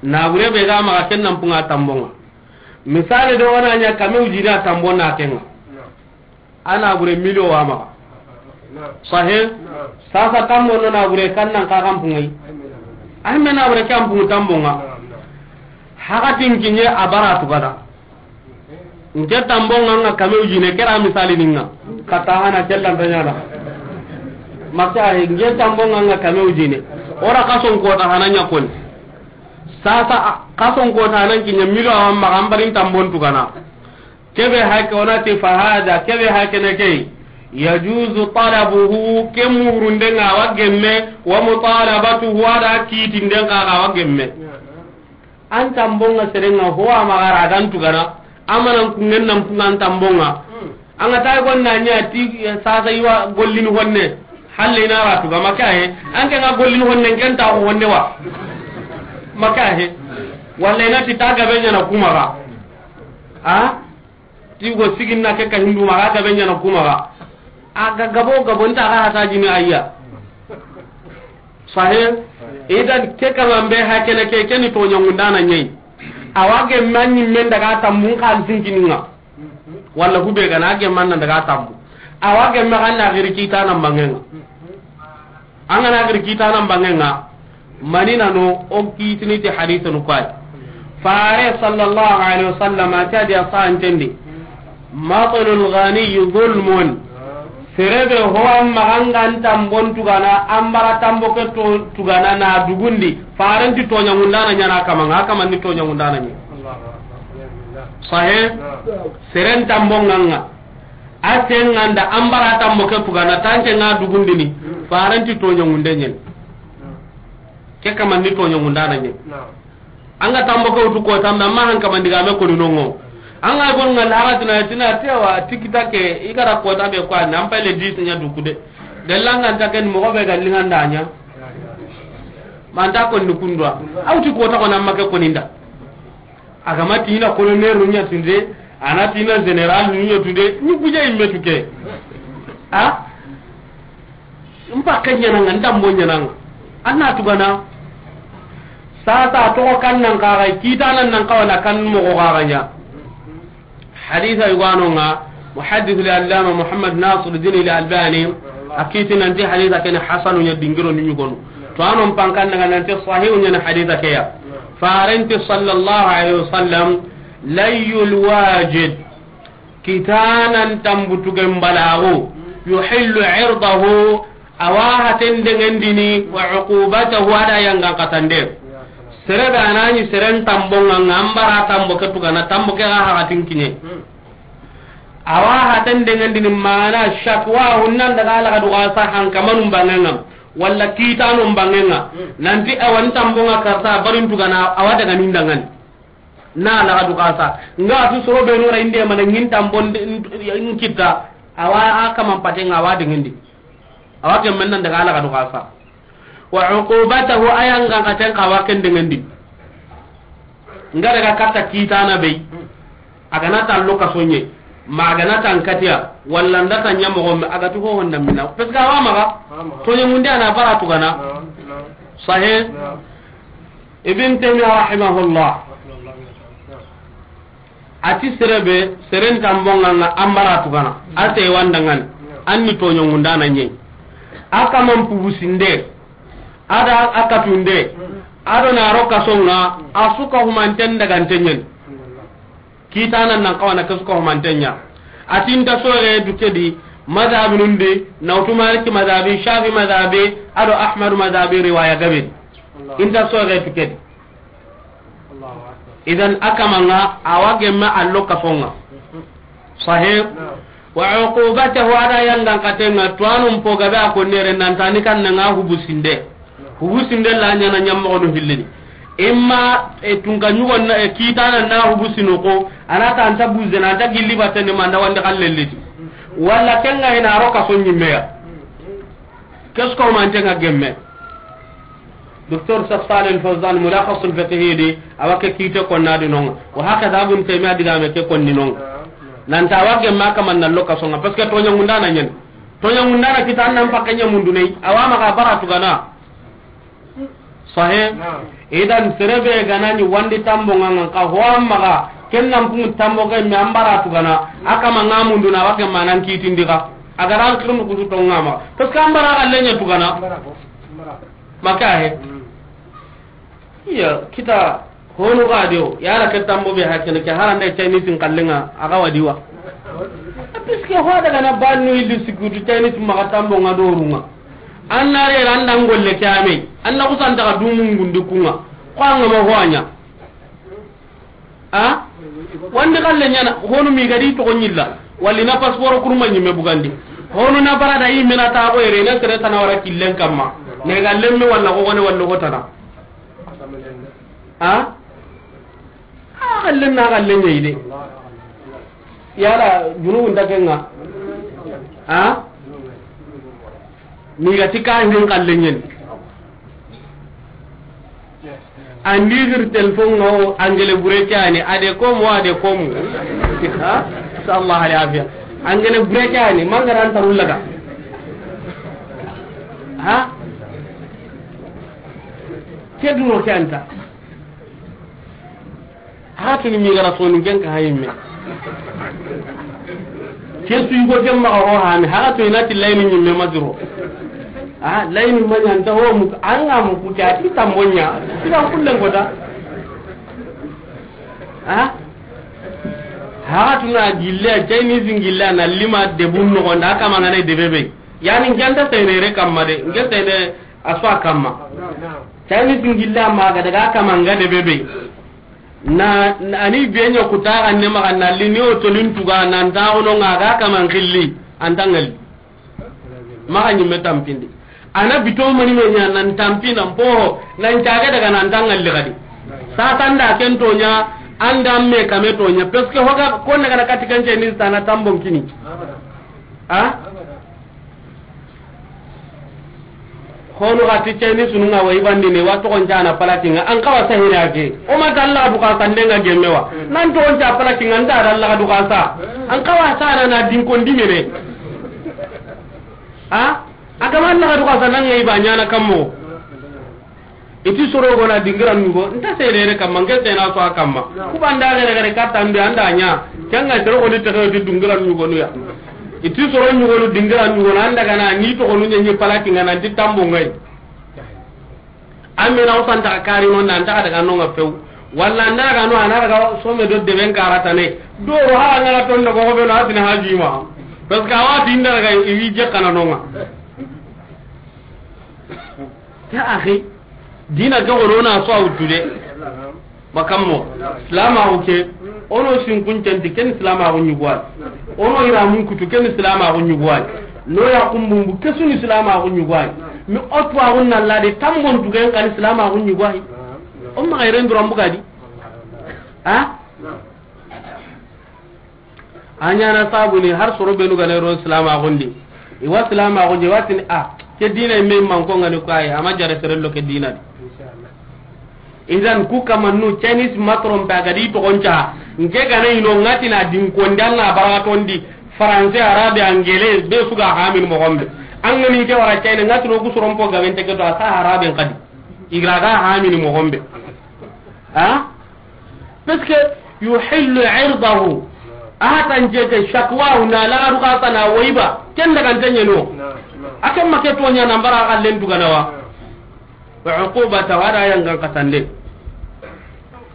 Na gure be ga maxa ken nan pun a tambon ŋa. Misali do wana ɲa kame wujina tambon na ken ŋa. A na gure miliyo wa maxa. Sahih? Sasa tambo no na gure kan nan xa kan pun ŋa yi. Ay me na gure kan pun tambon ŋa. Hakatin kiɲe a bara tu gada. N ke tambon ŋa ŋa kame wujine, ke ra misali ni ŋa. Kata hana kellan ta ɲana. Maka he, n ke tambon ŋa ŋa kame wujine. O ra kason kota hana ɲa koni. Sasa, a, kason kota nan kiɲa milo awa maxa an barin tambon tugana. Kebe hake onati fahada, kebe hake ne ke. Yajuzu talabuhu, ke murunden ŋa awa gemme, wa mutalabatuhu, a da kitinden xa awa gemme. An tambon ŋa seren ŋa ho a maxa ra gan tugana, amanan kungen nan kunga an tambon ŋa. An ga ta gon na ɲa ti, eh, sasa iwa gollini honne. Halle na ra tuga maka he. An ke ga gollini honne ken ta honne wa. Maka he. Walla na ti ta gabe ɲa na kuma ga. A? Ti go sigin na ke ka hindu ma ga gabe ɲa na kuma ga. A ga gabo gabo nta ga hata jini ayya. Sahih. Idan ke ka lambe ha kene ke keni to ɲangundana ɲei. Awa ge manni men daga tambun kan sinkini ŋa. Walla hube gana ge manna daga tambu. Awa ge ma ganna giri kita nan bangenga. An gana giri kita nan bangenga. Mani nano o kitini ti hadithun kwai. Fare sallallahu alaihi wasallam a ta dia sa antendi. Matlul ghani zulmun. Serebe ho amma gangan tambon tugana, ambara tambo ke to, tugana na dugundi. Farenti toɲa ngundana ɲana kamanga, kamanni toɲa ngundana ɲi. Sahe? Seren tambo nganga. A senganda ambara tambo ke tugana, tanke nga dugundini. Farenti toɲa ngunde ɲen. Ke kamanni toɲa ngundana ɲen. An ga tambo ke wutu kota, mais amma han kaman diga me koni nongo. An ga gon ngal haratina tina tewa tikita ke, i gara kota be kwa, nan pale dix nya dukude. Gallanga ta ken mo be gallinga ndanya. Manta konni kundwa. Awti kota ko nan make koninda. Agama tina colonel nya tunde, ana tina general nya tunde, ni kuje imme tuke. Ha? Mpa ke ɲananga, ndambo ɲananga. Anna tugana. Sasa to kan nan kaga, kita nan nan kawana kan mo ko kaga ɲa. Haditha yuganonga, muhaddith al-allama Muhammad Nasiruddin al-Albani, akiti nanti haditha kene hasanu ɲa dingiro ni ɲugonu. To anon pankan daga nanti sahihu ɲa haditha keya. Farenti sallallahu alaihi wasallam, layyul wajid. Kitanan tambutugen balagu, yuhillu irdahu, awa haten dengendini, wa uqubatahu, ada yangan katande. Serebe anani seren tambonga, ngambara tambo ke tugana, tambo ke ga hakatin kine. Awa haten dengendini, mana shakwa hunnan daga laga duga sa hankamanun bangenga, walla kitanun bangenga. Nanti awan tambonga karta barin tugana, awa daga nindangani. Na laga du kasa. Nga tu soro be no ra inde mana ngin tambon in kita. Awa a kaman pate nga wa dingindi. Awa ke men nan daga laga du kasa. Wa uqubatahu, ayanga katen ka wa ken dingindi. Nga daga kata kitana be. Agana ta loka sonye. Ma agana ta nkatiya. Walla nda ta nyamo gombe. Agatu ho honda mina. Parce que awa maga. To nyamunde ana bara tugana. Sahe. Ibn Taymiyyah rahimahullah, ati serebe, seren tambonga nga ambara tugana, ate wandangani, anni toɲongundana ɲei. A kaman pubusinde, ada a katunde, ado na ro kasonga, a suka humanten daganten ɲen. Kitana nan kawana ke suka humanten ɲa. Ati nta soge du kedi, madhabi nundi, nawtu Maliki madhabi, Shafi madhabi, ado Ahmadu madhabi riwaya gabe. Inta soge tu kedi. Idan a kamanga, awa gemme allo kasonga. Sahe. Wa uqubatahu, ada yangan katenga, tuwanun po gabe a konnere nantani kan nga hubusinde. Hubusinde la ɲana ɲammoxonu hillini. Imma, e, tunka ɲugon na, e, kitana na hubusinu ko, anata anta buzena, anta gilli batteni manda wandi xallelliti. Walla kenga ina ro kaso ɲimmeya. Kesko mantenga gemme. Docteur Cheikh Saleh Al Fawzan, Mulakhasul Fiqhi di, awa ke kite konna di nonga. Wa hakaza Ibn Taymiyyah digame ke konni nonga. Nanta awa gemme a kaman na lo kasonga, parce que toɲangundana ɲen. Toɲangundana kita an nan pakke ɲamundunei, awa maga bara tugana. Sahe. Idan serebe ganani wandi tambo nganga ka ho amaga, ken nan pun tambo ke me ambara tugana, a kama ngamunduna wa ke manan kitindi ka. Agara kirun kusu to ngama. Parce que ambara galle nya tugana. Maka he. Iya, kita honu ga de o, yala ke tambo be hakene ke harande Chinese n kallenga, aga wadi wa. Parce que ho daga na bannu illu sikutu Chinese maga tambo nga dorunga. Anna re randa ngolle kame. Anna kusanta ka dumu ngundi kunga. Ko an ga ma ho a ɲa. A? Wandi xalle ɲaana, honu mi ga di toxo ɲilla. Walla i na passeport kurma ɲimme bugandi. Honu na bara da i me na ta ko yere, na sere tana wara killen kamma. Ne ga lemme walla ko gone walla ko tana. A? A xallen na xallen ɲa yi de. Yala, junubun ta kenga. A? Ni ga ti ka hin xallen ɲen. Andi gir telefon ŋa o, angele bure ke ani, a de komo, a de komo. Ha? Sallallahu alaihi afiya. Angele bure ke ani, mangara an tarullaga. Ha? Ke duro ke anta. Haga tuni mi gara soni ken ka hayimme. Ke su yugo ken maxa ho hani, haga to i na ti layini ɲimme ma duro. A, layini ma ɲa nta ho mu, an ga mu ku ta ti tambonya. Ti ga kullen kota. A? Haga tuna gille, Chinese gille na lima de bun no gonda kama ngana de bebe. Yani ngenta senere kamma de, ngenta ne aswa kamma. Chinese gille ma ga daga kama nga de bebe. Na, na, ani be ɲa kuta ga ne maxa na li ni o tolin tuga nan ta ono nga ga kaman xilli, an ta ŋalli. Maxa ɲimme tampindi. Ana bito mani me ɲa nan tampi nan po, nan caga daga nan ta ŋalli xadi. Sasa nda ken to ɲa, anda me kame to ɲa, parce que hoga ko ne ga na kati kan ce ni sana tambon kini. A? Honu ga ti ceni sunu nga wa ibandini wa toxon cana palakinga an kawa sahina ke. O ma ta Allah du ka sande nga gemme wa. Nan toxon ca palakinga nda Allah du ka sa. An kawa sana na din kon dimene. A? Agama Allah du ka sa nan ngai ba ɲana kammo. Iti soro gona dingiran ɲugo, nta senere kamma, nke sena so a kamma. Ku banda gere gere katta mbi anda ɲa, kanga soro goni tege ti dingiran ɲugo nuya. Iti soro ɲugo nu dingiran ɲugo na anda gana, ni to gonu ɲi palaki ngana ti tambo ngai. Amina o santa kari no nan ta daga no nga few. Walla anda ga no ana daga some do deben karata ne. Do ro ha ngala ton do ko be no asina hajima. Parce que awa tinda daga iwi je kana no nga. Ya akhi, dina ke gono na so a wuttu de. Makammo, silamaxu ke, ono sinkun centi ken silamaxu ɲuguway. Ono iramun kutu ken silamaxu ɲuguway. No ya kumbumbu kesuni silamaxu ɲuguway. Mi o tuwaxun na lade tambon tugen kani silamaxu ɲuguway. O maxa iren duran bugadi. A? A ɲana sabuni har soro benu gane ron silamaxun di. Iwa silamaxun di, watini a, ke dina me manko ngani ko ay, ama jare serello ke dina di. Idan ku kamannu Chinese matron ta gadi to gonca, nke gane ino ngatina din kondan na baratondi, français, arabe, anglais, be suga hamin mo gombe. An ngani ke wara China ngatino ku soron po gaben teke to asa arabe ngadi. Igra ga hamin mo gombe. Ha? Parce que yuhillu irdahu. A hatan jete shakwahu na la ruka sana waiba. Ken daga ntanya no. Akan make to nya na mbara kallen duganawa. Wa uqubata wada yangan katande.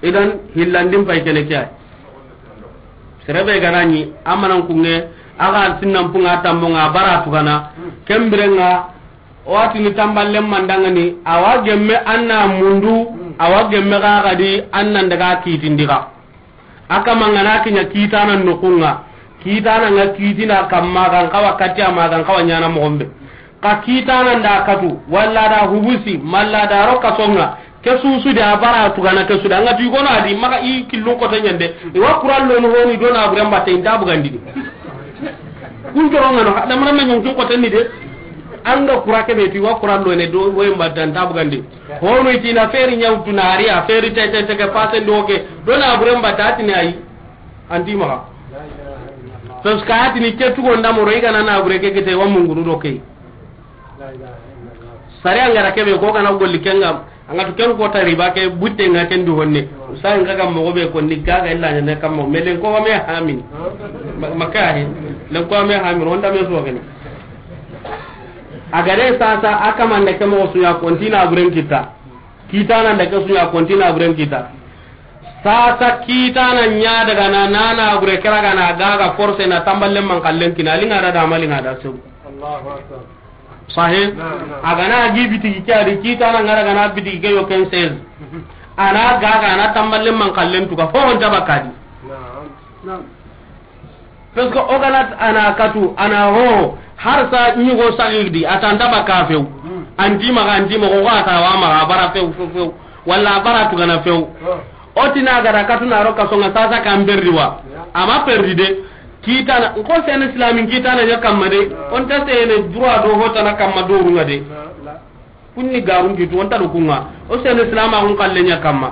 Idan hillandin pay kene kya. Serebe ganani amanan kunge aga sinnan punga tambo nga bara tugana. Kembirenga O watini tamballen mandangani, awa gemme anna mundu, awa gemme gagadi annan daga kitindi ga. Aka mangana kinya kitana nokunga, kitana nga kitina kamma gan kawa katia ma gan kawa nyana mogombe. Ka kitana nda katu, walla da hubusi, malla da roka songa, ke susu de abara tugana ke suda, nga tu gono adi, maka i killun kote nyande, iwa kurallo no honi dona aburen batte inta bugandini. Kun joro ngano, da mara me nyon kin kote ni de. Anga kura ke be ti wa kura lo ne do wo mba dan ta bugandi. Hono iti na feri nyaw tunari a feri tete teke pase ndoke. Do na bure mba tati ne ayi. Anti ma. Sos ka ati ni ketu go ndamo ro igana na bure ke kete wa munguru do ke. Sare angara ke be ko kana golli kenga. Anga tu ken ko ta riba ke butte nga ken du honne. Usa nga ga mo be ko ni ga ga illa ne kam mo melen ko me hamin. Makka he. Len ko me hamin onda me so gani. Agare sasa aka mande ke mo su ya kontina buren kita. Kitana nda ke su ya kontina buren kita. Sasa kitana nya daga na nana bure kera ga na ga ga force na tamballe man kallen kina linga da da malinga da su. Allahu akbar. Sahe. Agana gi bitigi ke adi kitana ngara gana bitigi ke yo ken seize. A na gaga, a na tanballe man kallen tuga, ho ho nta bakka di. Parce que o ga na a na katu, a na ho, har sa ɲigo sagirdi, a ta nta bakka few. An ti maxa, an ti maxa, o ga ta wa maxa, a bara few, few, few. Walla a bara tugana few. O ti na ga da katu na ro kaso ŋa sasa kan perdi wa. A ma perdi de. Kitana, nko sene islamin kitana ɲa kamma de. O nta sene droit do ho tana kamma doru ŋa de. Kunni garun kitu, o nta do ku ŋa. O sene islama kun kalle ɲa kamma.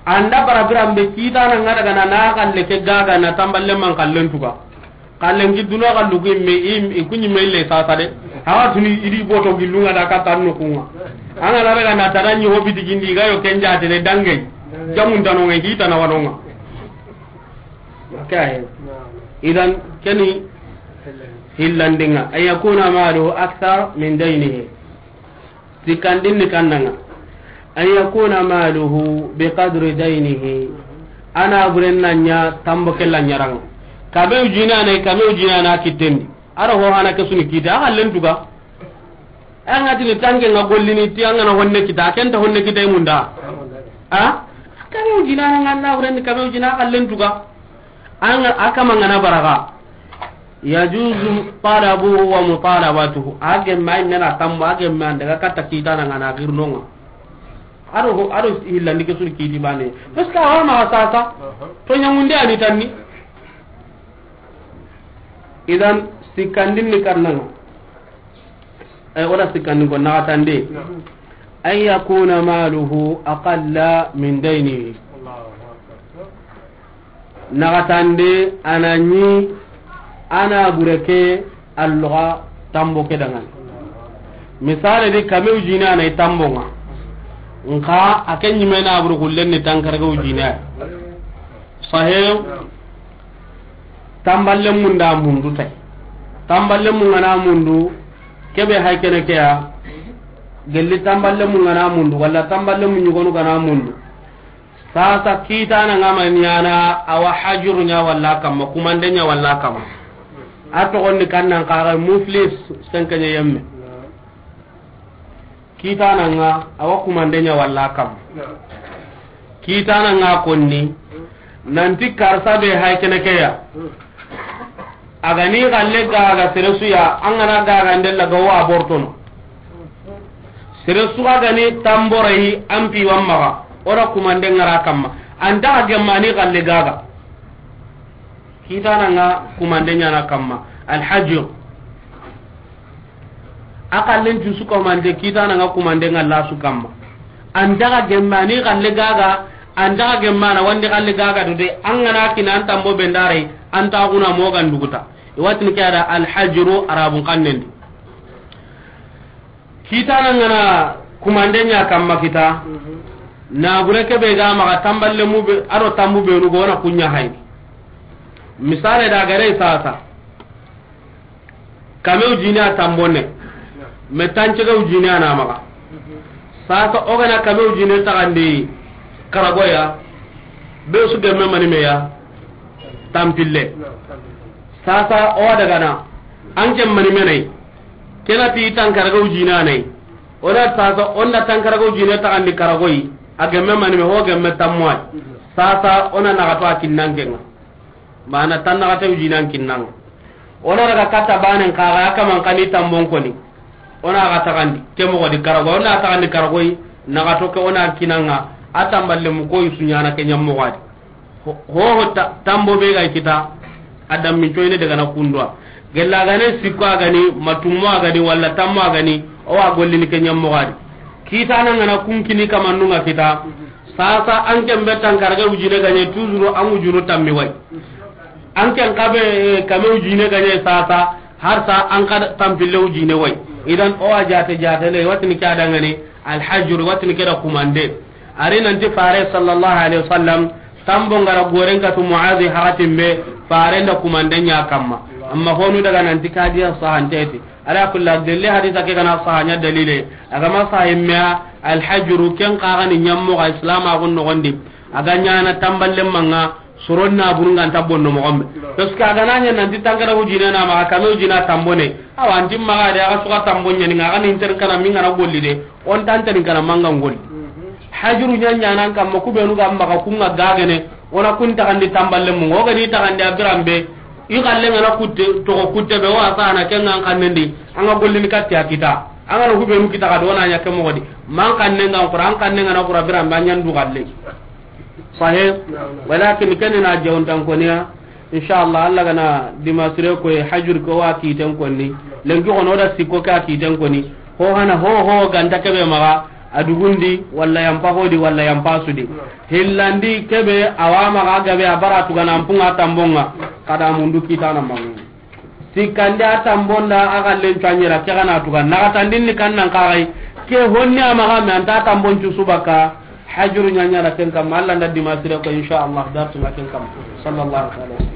An da bara biran be kitana ŋa daga na, na kalle ke gaga na tanballe man kallen tuga. Kallen ki duna kallu ku imme, i, i ku ɲi me le sasa de. Hawa tuni i di boto gillu ŋa da ka tanno ku ŋa. An ga na daga na tana ɲi ho biti gindi ga yo ken jaate ne dange. Jamun tano ŋa, kitana wano ŋa. Okay. Idan keni hillandinga. An yakuna maluhu akthar min daynihi. Sikkandin ni kanna ŋa. An yakuna maluhu bi qadri daynihi. A na buren na ɲa tambo ke la ɲaran ŋa. Kabe ujina ne, kabe ujina na kitten di. A ro ho hana ke su ni kite, a kallen tuga. An ga tini tanke ŋa gollini ti an ga na honne kita, ken ta honne kita i munda. A? Kabe ujina na ŋa na buren ni kabe ujina a kallen tuga. An ga, a kama ŋa na baraga. Yajuzu talabuhu wa mutalabatuhu. A gemme ay mena tambo, a gemme an daga katta kitana ŋa na girno ŋa. A ro ho, a ro hillandi ke su ni kiti bane. Parce que a wa maxa sasa. To ɲaŋunde a ni tanni. Idan sikkandin ni kanna ŋa. Ay, o da sikkandin ko naxatande. An yakuna maluhu aqalla min daynihi. Naxatande a na ɲi a na bure ke alloxa tambo ke dangan. Misale di kame ujine a na i tambo ŋa. Nxa a ke ɲime na bure xullen ni tankarage ujine ay. Sahih. Tamballe munda mundu tay. Tamballe mu ŋa na mundu, kebe hay kene ke ya. Gelli tamballe mu ŋa na mundu, walla tamballe mu ɲugonu ga na mundu. Sasa kitana ŋa ma ɲana, a wa hajuru ɲa walla kamma, kumande ɲa walla kamma. A toxon ni kannan xaxa muflis senkeɲe yemme. Kitana ŋa, a wa kumande ɲa walla kamma. Kitana ŋa konni, nanti karsa be hay kene ke ya. A ga ni xalle gaga sere su ya, an ga na gaga ndella ga wa bortono. Sere su ga ni tamborayi an pi wa maxa, o da kumande ŋa ra kamma. An ta gemma ni xalle gaga. Kitana ŋa kumande ɲana kamma. Alhajju. A xallen cu su kumande, kitana ŋa kumande ŋa la su kamma. An daga gemmani xalle gaga, an daga gemmana wandi xalle gaga do de, an ga na kina an tambo bendare, an ta guna mogan duguta. I watini ke ada alhajru arabun xannen di. Kitana ŋa na kumande ɲa kamma kita. Na gure ke be ga maxa tamballe mu be, a do tambu be nu go na kunya hay. Misale da gare sasa. Kame ujine a tambonne. Me tancege ujine a na maxa. Sasa o ga na kame ujine taxandi karagoya. Be su gemme mani meya. Tampille. Sasa o daga na. An ke mani menai. Kena ti tankarage ujine a nay. O na sasa, o na tankarage ujine taxandi karagoyi. A gemme mani me ho gemme tammoy. Sasa o na naxato a kinnanke ŋa. Mana tan naxate ujine an kinnan ŋa. O na daga katta banen xaxa, a kaman xani tambon koni. O na xa taxandi, ke moxo di karago, o na taxandi karagoyi, naxato ke o na kinan ŋa, a tamballe mu koyi su ɲana ke ɲammoxo a di. Ho, ho, ho ta-, tambo be ga kita, a dammin coyne daga na kundwa. Gella gane sikko a gani, matummo a gani, walla tammo a gani, o wa gollini ke ɲammoxo a di. Kitana ŋa na kunkini kamannun ŋa kita, sasa an ken be tankarage ujine gaɲe, toujours an ujunu tammi way. An ken xa be, eh, kame ujine gaɲe sasa, har sa an xa tampille ujine way. Idan o wa jate jate le, watini ke a dangani, alhajru, watini ke da kumande. Ari nanti Fare sallallahu alaihi wasallam, tambo ŋa ra goren katu Muazi haratin be, Fare nda kumande ɲa kamma. Amma honu daga nanti kadiya sahanteti. Ala kulli hal, delle hadisa ke gana saha ɲa dalile. A ga ma saha imme ya, alhajru, ken xa ga ni ɲammoxo a islama gun noxondi. A ga ɲana tamballe manga, soron na burunga nta bonno moxombe. Parce que a ga na ɲa nanti tankara ujine na maxa, kame ujina tambone. Awa, anti maxa de, a ga suka tambon ɲani, a ga ni inter kana minga na golli de. On tanten kana manga ngolli. Hajuru ɲaɲanan kamma, ku benu ga maxa kun ŋa gagene, o na kun taxandi tamballe mu, o ga ni taxandi a biran be, i xalle ŋa na kutte, toxo kutte be, o a sana ken ŋa an xannen di, an ga gollini katti a kita, an ga na ku benu kita xa do na ɲa ke moxo di, ma an xannen ŋa an xura, an xannen ŋa na xura biran be, an ɲa n du xalle. Sahih. Walakin ken na jawuntan koniya. Inshallah, Allah ga na dimasire koy hajur ko wa kiten konni. Lenki xono da sikko ka kiten konni. Ho hana ho ho ganta kebe maxa a dugundi walla yampa hodi walla yampa sudi. Hillandi kebe awa maxa gabe a bara tugana ampunga tambonga. Kada mundu kitana mangu. Sikkandi a tambonda a xallen cuanyera ke gana tuga naxatandin ni kannan kaxay. Ke honni a maxa me anta tambon cu subaka. Hajuru ɲaɲana ken kamma, Allah nda dimasire ko, inshallah, dartunga ken kamma. Sallallahu alaihi wasallam.